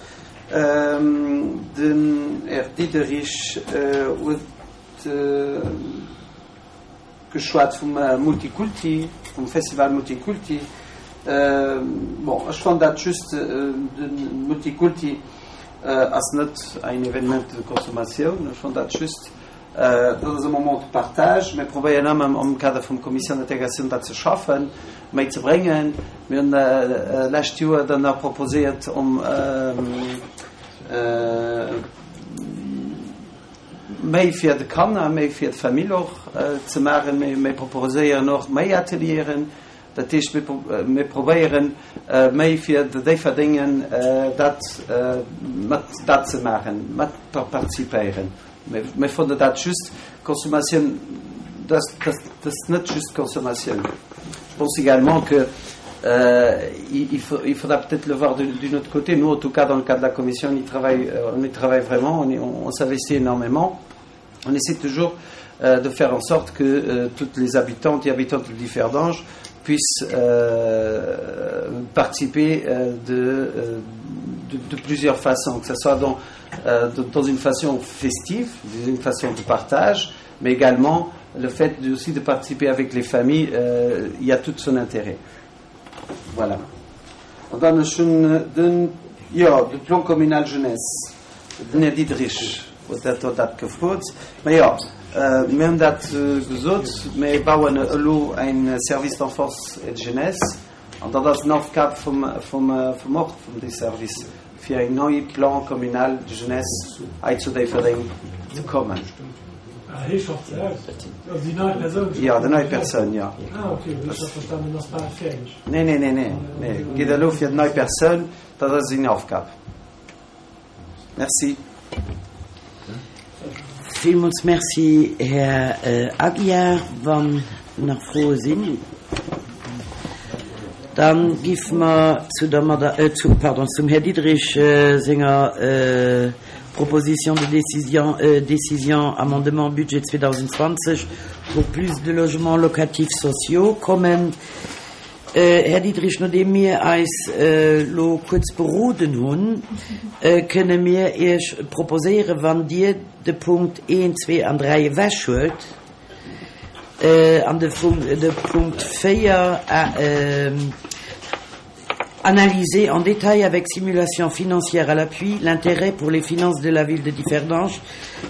Den Här Diderich huet geschwat vum Multikulti, vum Festival Multikulti. Bon, ech fannen dat just, de Multikulti ass net ein Evenement de consommation, ech fannen dat just, dat ass e Moment de partage. Mir probéieren ëmmer am Kader vum Commission d'intégration dat ze schaffen, méi ze bréngen. Mir hunn lescht Joer dann nach proposéiert, om méi fir de Kanner, méi fir d'Famill och ze maachen. Mir proposéieren och méi Atelieren. Dat heescht, mir probéieren méi fir de Déifferdengen dat mat dat ze maachen, mat participéieren. Mir fannen dat just Consommatioun, dat ass net just Consommatioun. Je pense également que il faut, il faudra peut-être le voir d'un autre côté. Nous, en tout cas, dans le cadre de la commission, on y travaille, on y travaille vraiment, on, on, on s'investit énormément. On essaie toujours euh, de faire en sorte que euh, toutes les habitantes et habitants de Differdange puissent euh, participer euh, de, euh, de, de plusieurs façons, que ce soit dans, euh, dans une façon festive, dans une façon de partage, mais également le fait de, aussi de participer avec les familles, euh, il y a tout son intérêt. Voilà. An dann ech hunn den, jo, de Plan communal jeunesse, den Här Diderich huet dat do dat gefrot. Mä jo, mir hunn dat gesot, mir bauen elo en Service d'enfance et de jeunesse an dat ass en Aufgab vum, vum, vum och vum dee Service, fir eng nei Plan communal de jeunesse hei zu Déifferdeng ze kommen. Ah, hee schafft se aus? Also déi nei Persoun schafft Ja, déi nei Persoun, ja. Ah, okay, well ech hat verstanen, en ass bal fäerdeg. Nee, nee, nee, nee, nee. Geet elo fir déi nei Persoun, dat ass seng Aufgab. Merci. Villmools Merci, Här Aguiar. Wann nach Froe sinn, da géife mer zu der Mada-, zu, pardon, zum Här Diderich senger Proposition de décision, décision amendement budget 2020 pour plus de logements locatifs sociaux kommen. Här Diderich, nodeem mir eis elo kuerz beroden hunn, kënne mir Iech proposéieren, wann Dir de Punkt 1, 2 an 3 ewechhuelt an de Punkt 4 analyser en détail avec simulation financière à l'appui l'intérêt pour les finances de la ville de Differdange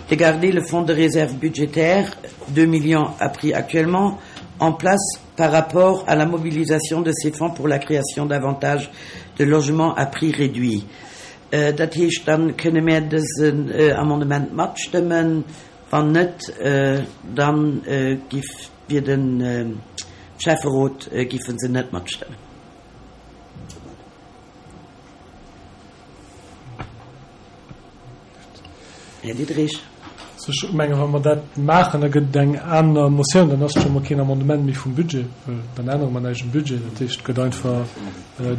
de garder le fonds de réserve budgétaire, 2 millions à prix actuellement, en place par rapport à la mobilisation de ces fonds pour la création davantage de logements à prix réduit. Dat heescht, dann kënne mär dësen Amendement matstëmmen. Wann net, dann giff wier de Schäfferot giffen se net matstëmmen. Här Diderich. Ech mengen, wa mer dat maachen, da gëtt et eng aner Motioun, dann ass et scho mol keen Amendement méi vum Budget, well dann ännere mer näischt um Budget. Dat heescht, et gëtt einfach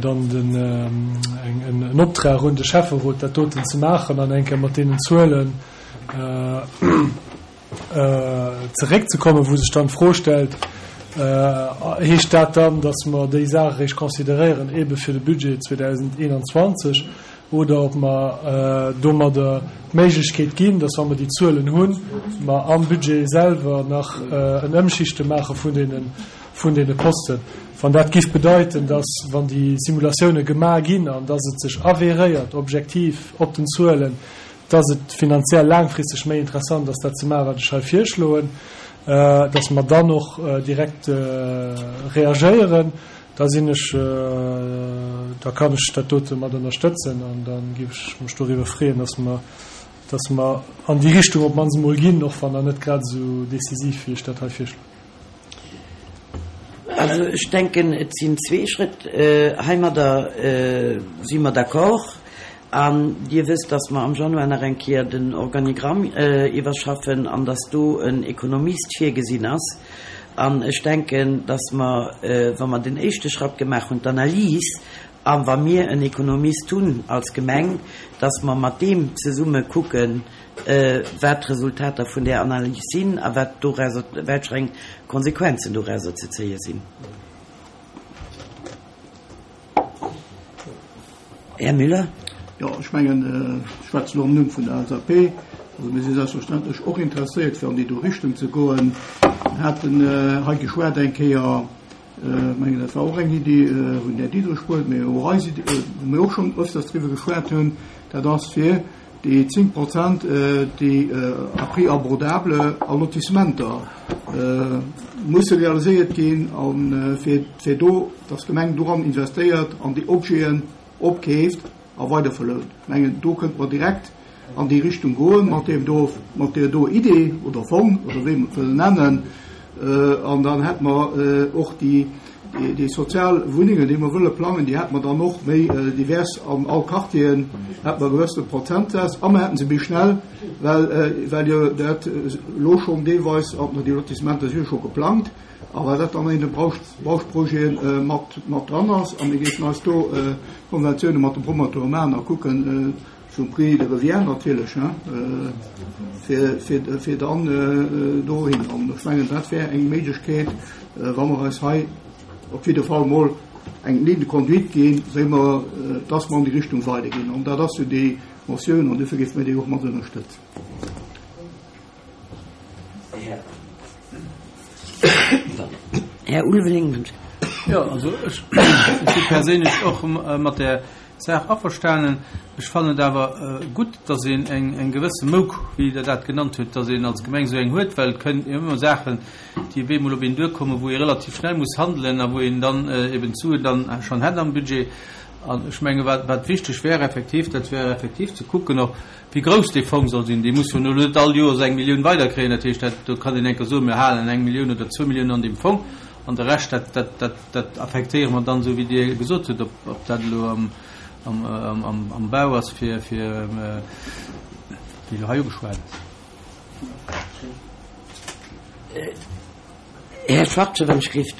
dann den, eng, en Optrag un de Schäfferot, dat doten ze maachen an eng Kéier mat deenen Zuelen zeréckzekommen, wou sech dann d'Fro stellt, Heescht dat dann, datt mer déi Saach eréischt consideréieren eebe fir de Budget 2021 oder ob mer domadder d'Méiglechkeet ginn, datt, wa mer déi Zuelen hunn, mer am Budget selwer nach en Ëmschichte maache vun deene, vun deene Posten? Wann dat géif bedeiten, datt, wann déi Simulatioune gemaach ginn an datt et sech avéréiert objektiv op den Zuelen, dass et finanziell laangfristeg méi interessant ass, dat ze maachen, wat ech hei virschloen, dass mer dann och direkt reagéieren, da sinn ech, da kann ech dat dote mat ënnerstëtzen an da géif ech mech doriwwer freeën, dass mer, dass mer an déi Richtung op d'mannst emol ginn, och wann der net grad esou décisiv, wéi ech dat hei virschloen. Also ech denken, et sinn zwee Schrëtt. Heimadder si mer d'accord. An Dir wësst, dass mer am Januar nach eng Kéier den Organigramm iwwerschaffen an dass do en Ekonomist virgesinn ass. An ech denken, dass mer, wa mer den éischte Schratt gemaach hunn, d'Analys, a wa mir en Ekonomist hunn als Gemeng, dass mer mat deem zesumme kucken, wat d'Resultater vun där Analys sinn a wat dorauser, welch eng Konsequenzen dorauser ze zéie sinn. Här Müller. Jo, ech mengen, ech schwätzen elo am Numm vun der LSAP. Also mir si selbstverständlech och interesséiert, fir an déi do Richtung ze goen. Mir haten hei geschwat eng Kéier, ech mengen, dat war och eng Iddi vun Här Diderich wuel, mee och eis Iddi, wou mir och schonn öfters driwwer geschwat hunn, dat ass fir déi 10 Prozent, déi à prix abordable a Lotissementer musse realiséiert ginn, a fir do, dass d'Gemeng doran investéiert an déi Objeten opkeeft a weiderverlount. Ech mengen, do kënnte mer direkt an déi Richtung goen mat deem do, mat där do Idee oder Fong oder wéi mer et wëllen nennen. An dann hätte mer och déi, déi sozial Wunnengen, déi mer wëlle plangen, déi hätte mer dann och méi divers an all Quartieren, hätte mer e gewëssene Prozentsaz a mer hätten se méi schnell, well, well jo dat elo schonn deelweis, an déi Lotissementer si jo scho geplangt, a well dat dann an deene Bauschprojete mat, mat dran ass. A mir géifen eis do Konventiounen mat de Promoteure maachen a kucken, Zum Prix de revient natierlech, fir dann dohin. An ech mengen, dat wär eng Méiglechkeet, wa mer eis hei op jidde Fall emol eng Ligne de conduite ginn, wéi mer, dass mer an déi Richtung weiderginn. An dat ass jo déi Motioun, an duerfir géife mir déi och mat ënnerstëtzen. Här Ulveling. Jo, also ech si perséinlech och mat där Saach averstanen. Ech fannen et awer gutt, dass een eng gewësse Mouk, wéi Der dat genannt hutt, dass een als Gemeng esou eng huet, well et kënnen ëmmer Saachen, déi op eemol op een duerkommen, wou ee relativ schnell muss handelen a wou een dann eben d'Suen dann schonn hätt am Budget. An ech menge wat wat wichteg wär effektiv, dat wär effektiv ze kucken och, wéi grouss dee Fong soll sinn. Dee muss jo elo net all Joers eng Millioun weiderkréien. Dat heescht, dat do kann een enker soen, mir halen eng Millioun oder zwou Milliounen an deem Fong an de Rescht, dat, dat, dat, Dat affektéiere mer dann, esou wéi Dir gesot hutt, ob dat elo am Bau ass, fir, wéi elo hei ugeschwat ass. Här Schwachtgen, wann ech gelift.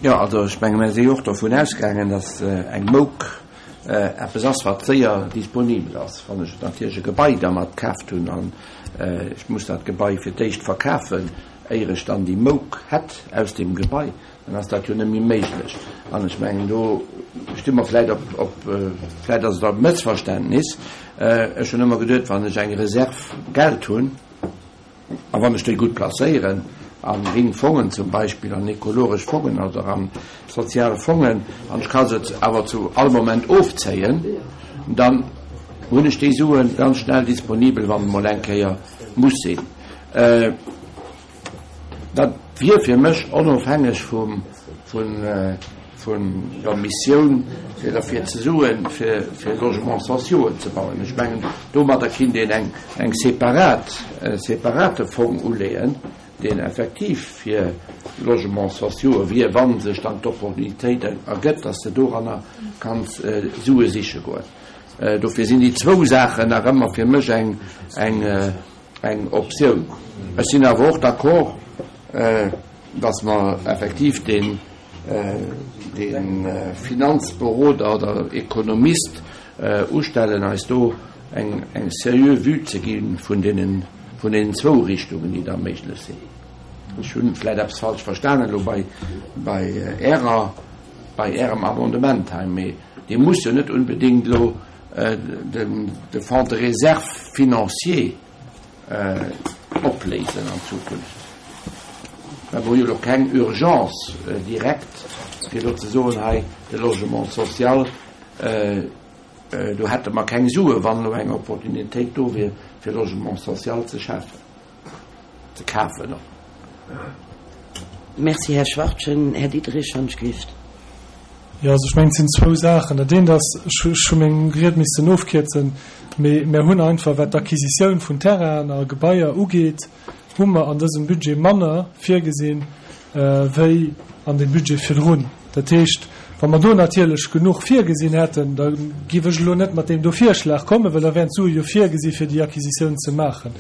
Jo, also ech menge mir si jo och dovun ausgaangen, datt eng Mouk eppes ass, wat séier disponibel ass. Wann ech natierlech e Gebai dermat kaaft hunn an ech muss dat Gebai fir d'éischt verkafen, éier ech dann déi Mouk hätt aus deem Gebai, dann ass dat jo net méi méiglech. An ech mengen, do sti mer vläicht op, op, vläicht ass et och e Mëssverständnis, ech hunn ëmmer geduet, wann ech eng Reserv Geld hunn a wann ech déi gutt placéieren, a gring Fongen zum Beispill, an ekologesch Fongen oder a sozial Fongen, an ech ka se awer zu all Moment ofzéien, dann hunn ech déi Sue ganz schnell disponibel, wann et emol eng Kéier muss sinn. Dat wier fir mech onofhängeg vum, vun, vun der Missioun, fir derfir ze suen, fir, fir Logements sociauxen ze bauen. Ech mengen, domadder kinnt een eng, eng separat, e separate Fong uleeën, deen effektiv fir Logements sociauxe wier, wa sech dann d'Opportunitéit ergëtt, dass de doranner kanns Sue siche goen. Dofir sinn déi zwou Saachen nach ëmmer fir mech eng, eng, eng Optioun. Ech sinn awer och d'accord, dass mer effektiv deen, dee Finanzberoder oder Ekonomist ustellen, eis do eng, eng seriö Vue ze gi vun deenen, vun deenen zwou Richtungen, déi da méiglech sinn. Ech hu vläicht eppes falsch verstanen elo bei, bei Ärer, bei Ärem Amendement hei, mee dee muss jo net unbedéngt elo de Fonds de réserve financier opléisen an Zukunft. Well mer hu jo elo keng Urgence direkt, fir elo ze soen, hei de Logement social, do hätte mer keng Sue wann elo eng Opportunitéit do wier, fir Logement social ze schafen. Ze kafen och. Merci, Här Schwachtgen. Här Diderich, wann ech gelift. Jo, also ech mengen, et sinn zwou Saachen. Dat eent ass, ech hu meng Ried missen ofkierzen, mee mär hunn einfach, wat d'Acquisitioun vun Terrainen a Gebaier ugeet. hu mer an dësem Budget manner virgesinn, wéi an deem Budget virdrun. Dat heescht, wa mer do natierlech genuch virgesinn hätten, da géif ech elo net mat deem do Virschlag kommen, well da wären d'Sue jo virgesi fir déi Acquisitioun ze maachen.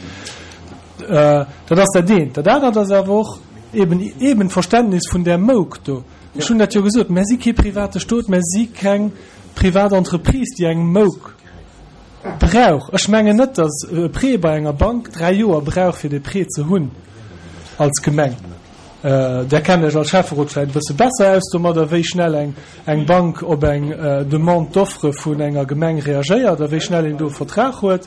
Dat ass dat eent. Dat anert ass awer och eben eben d'Verständnis vun där Mouk do. Ech hunn dat jo gesot, Mär si kee private Stot, mär si keng privat Entreprise, déi eng Mouk brauch. Ech mengen net, datt e Prêt bei enger Bank 3 Joer brauch, fir dee Prêt ze hunn als Gemeng. Där kennt Iech als Schäfferot vläicht e bësse besser aus domadder, wéi schnell eng eng Bank op eng Demande d'offre vun enger Gemeng reagéiert a wéi schnell een do e Vertrag huet.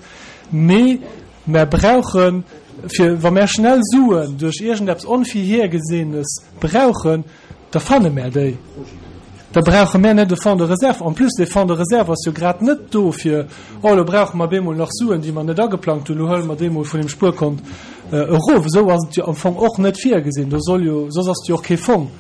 Mee mär brauchen, fir wa mär schnell Suen duerch iergendeppes Onvirhergesehenes brauchen, Da fanne mär déi. Da brauche mär net e Fonds de réserve. En plus, dee Fonds de réserve ass jo grad net do fir, oh elo brauche mer bemol nach Suen, déi mer net ageplangt hunn, elo huele mer déi mol vun dem Spuerkont erof. Esou ass et jo am Fong och net virgesinn. Do soll jo, soss ass et jo och kee Fong.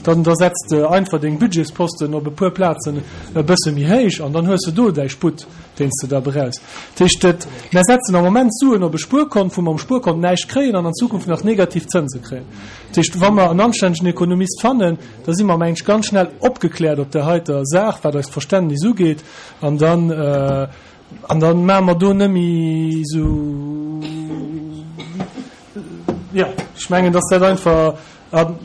Dann da setz de einfach deng Budgetsposten op e puer Plazen e bësse méi héich an dann hues de do däi Sputt, deen s de da brauchs. Dat heescht, et, mär setzen am Moment Suen op e Spuerkont, wou mer um Spuerkont näischt kréien an an Zukunft nach negativ Zënse kréien. Dat heescht, wa mer en anstännegen Ekonomist fannen, da si mer mengen ech ganz schnell opgekläert op där heiter Saach, wat eist Verständnis ugeet, an dann, an da maache mer do net méi esou, jo, ech mengen, dass dat einfach, an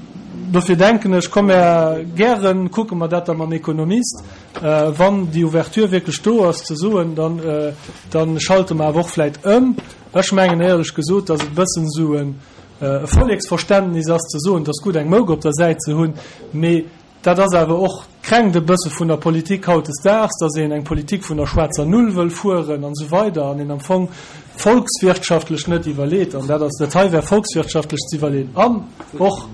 dofir denken ech, komm mer gären kucke mer dat da mam Ekonomist, wann déi Ouverture wierklech do ass, ze soen, dann, dann schalte mer awer och vläicht ëm. Ech mengen éierlech gesot, dass et e bëssen esou en e Volleksverständnis ass ze soen, et ass gutt eng Mouk op der Säit ze hunn, mee dat ass awer och, kränkt e bësse vun der Politik hautdesdaags, datt een eng Politik vun der schwaarzer Null wëll fueren an esou weider an een am Fong volkswirtschaftlech net iwwerleet. An dat ass, dat hei wär volkswirtschaftlech ze iwwerleeën an och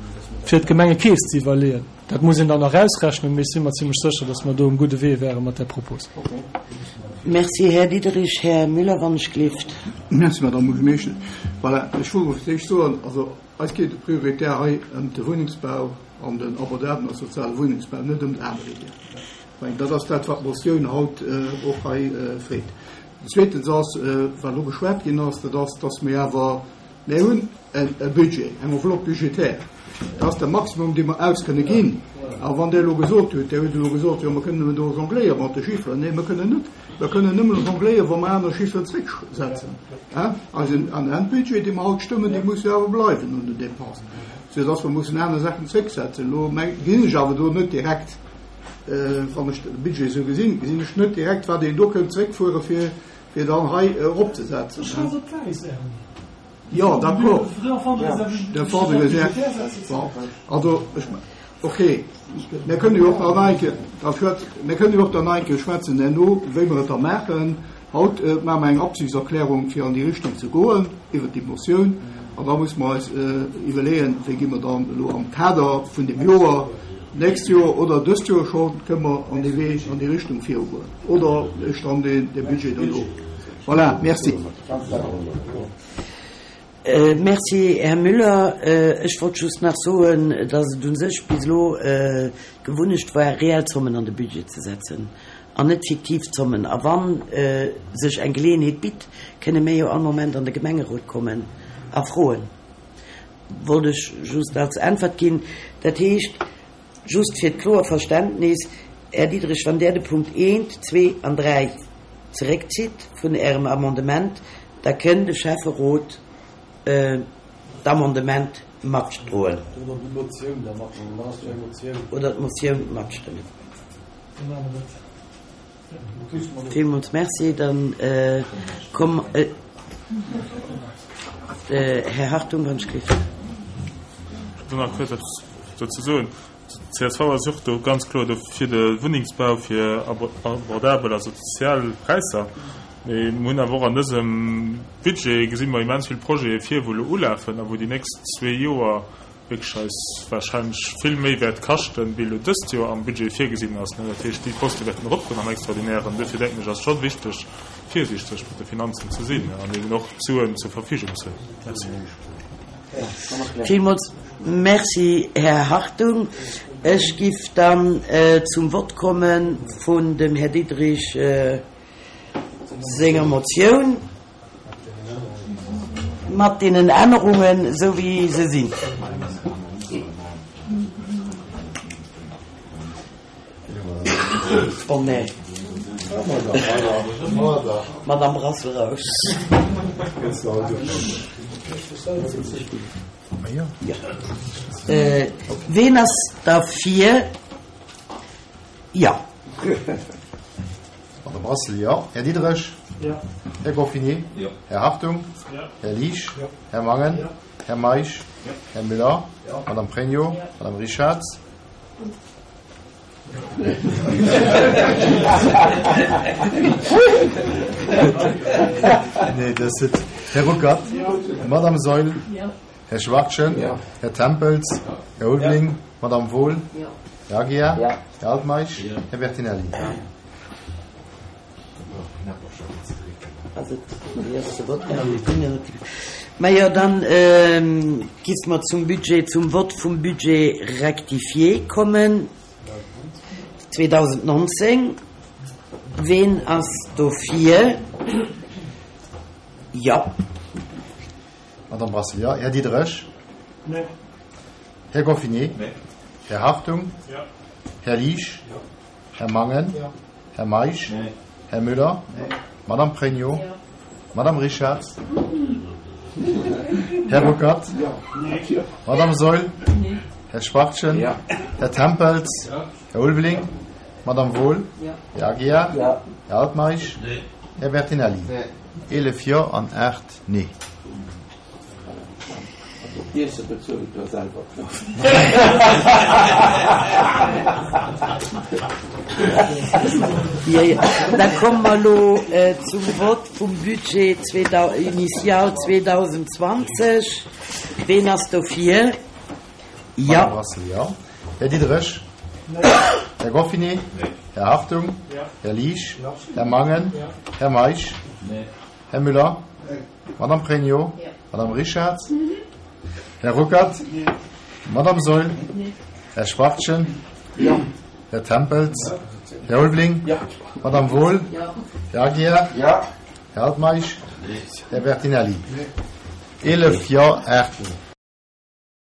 fir d'Gemengekeess ze iwwerleeën. Dat muss een dann nach ausrechnen, mee ech si mer zimlech sécher, datt mer do um gudde Wee wäre mat där Propos. Merci, Här Diderich. Här Müller, wann ech gleeft. Merci, Madame Buergermeeschtesch. Voilà, ech wollt fir d'éischt soen, also eis geet et prioritär hei ëm de Wunnengsbau an den abordablen a soziale Wunnengsbau, net ëm d'Aarbeeder. Ech mengen, dat ass dat, wat d'Motioun haut och hei freet. Zweetens ass, wat elo geschwat ginn ass, dat ass, dass mir awer, Mir hunn e Budget, eng Enveloppe budgétaire. Dat ass de Maximum, dee mer aus kënne ginn. A wann Der elo gesot hutt, Dir hutt elo gesot, jo, mer kënnen nëmmen do jongléiere mat de Chifferen. Nee, mer kënnen net. Mer kënnen nëmmen jongléieren, wa mer aner Chifferen zrécksetzen. Eisen Endbudget, dee mer haut stëmmen, dee muss jo awer bleiwen un den Dépensen, soudass mer mussen aner Saachen zrécksetzen. Elo gesinn ech awer do net direkt, wann ech de Budget esou gesinn, gesinn ech net direkt, wat een do kënnt zréckfuere fir Fir dann hei eropzesetzen. Jo, d'accord. De Fonds de réserve. Bon, also, ech, okay. Mir kënnen jo och nach eng Kéier dra schwätzen, mir kënnen jo och dann nach eng Kéier schwätzen herno, wéi mer et da maachen. Haut maache mer eng Absichtserklärung, fir an déi Richtung ze goen, iwwert déi Motioun. An da musse mer eis iwwerleeën, wéi gi mer dann elo am Kader vun dem Joer, d'nächst Joer oder dëst Joer schonn, kënnen mer an dee Wee, an déi Richtung virugoen. Oder ech dann dee Budget dono. Voilà, merci. Merci, Här Müller. Ech wollt just nach soen, dass et u sech bis elo d'Gewunnecht war, reell Zommen an de Budget ze setzen an net fiktiv Zommen. A wa sech eng Geleeënheet bitt, kënne mir jo all Moment an de Gemengerot kommen a froen. Wollt ech just als Äntwert ginn. Dat heescht, Just fir d'kloer Verständnis, Här Diderich, wann Der de Punkt eent, zwee an dräi zeréckzitt vun Ärem Amendement, da kënn de Schäfferot d'Amendement matdroen. Oder déi Motioun da matstëmmen. Dat ass jo eng Motioun. Oder d'Motioun matstëmmen. Villmools Merci. Dann komm, Här Hartung, wann ech gleef. Ech wëll nach kuerz eppes dozou soen. D'CSV ass och do ganz kloer do fir de Wunnengsbau, fir abordabel a sozial Präisser. Mee mir hunn awer och an dësem Budget gesi mer immens vill Projete vir, wou elo ulafen a wou déi nächst zwee Joer wierklech eis wahrscheinlech vill méi wäert kaschten, wéi elo dëst Joer am Budget virgesinn ass. Dat heescht, déi Poste wäerten eropgoen am Extraordinären. Duerfir denken ech, ass et scho wichteg, virsiichteg mat de Finanzen ze sinn an eben och d'Suen zur Verfügung ze hunn. Merci. Villmools Merci, Här Hartung. Ech giff dann zum Vott komme vun dem Här Diderich senger Motioun. mat deenen Ännerungen, esou wéi se sinn. Oh nee. Madame Brassel raus. Ween ass derfir? Jo. Madame Brassel, Jo. Här Diderich? Jo. Här Goffinet? Jo. Här Hartung? Jo. Här Liesch? Jo. Här Mangen? Jo. Här Meisch? Jo. Här Müller? Jo. Madame Pregno? Jo. Madame Richarz? Nee, dat ass et. Här Ruckert? Jo. Madame Saeul? Jo. Här Schwachtgen? Jo. Här Tempels? Här Ulveling? Madame Wohl? Jo. Här Aguiar? Jo. Här Altmeisch? Jo. Här Bertinelli? Majo, dann giff mer zum Budget, zum Vott vum Budget rectifié kommen 2019. Ween ass dofir? Jo. Madame Brassel, jo. Här Diderich? Nee. Här Goffinet? Nee. Här Hartung? Jo. Här Liesch? Jo. Här Mangen? Jo. Här Meisch? Nee. Här Müller? Nee. Madame Pregno? Jo. Madame Richarz? Här Ruckert? Nee. Madame Saeul? Nee. Här Schwachtgen? Ja. Här Tempels? Ja. Här Ulveling? Madame Wohl? Ja. Här Aguiar? Ja. Här Altmeisch? Nee. Här Bertinelli? Nee. 11 Jo an 8 Nee. D'Iesse bezuelt der selwer. Jo, jo. Da komme mer elo zum Vott vum Budget initial 2020. Ween ass dofir? Jo. Madame Brassel, jo. Här Diderich? Här Goffinet? Här Hartung? Här Liesch? Här Mangen? Här Meisch? Här Müller? Madame Pregno? Madame Richarz? Här Ruckert? Madame Saeul? Här Schwachtgen? Här Tempels? Här Ulveling? Madame Wohl? Här Aguiar? Ja. Här Altmeisch? Här Bertinelli? 11 Jo, 8 Nee.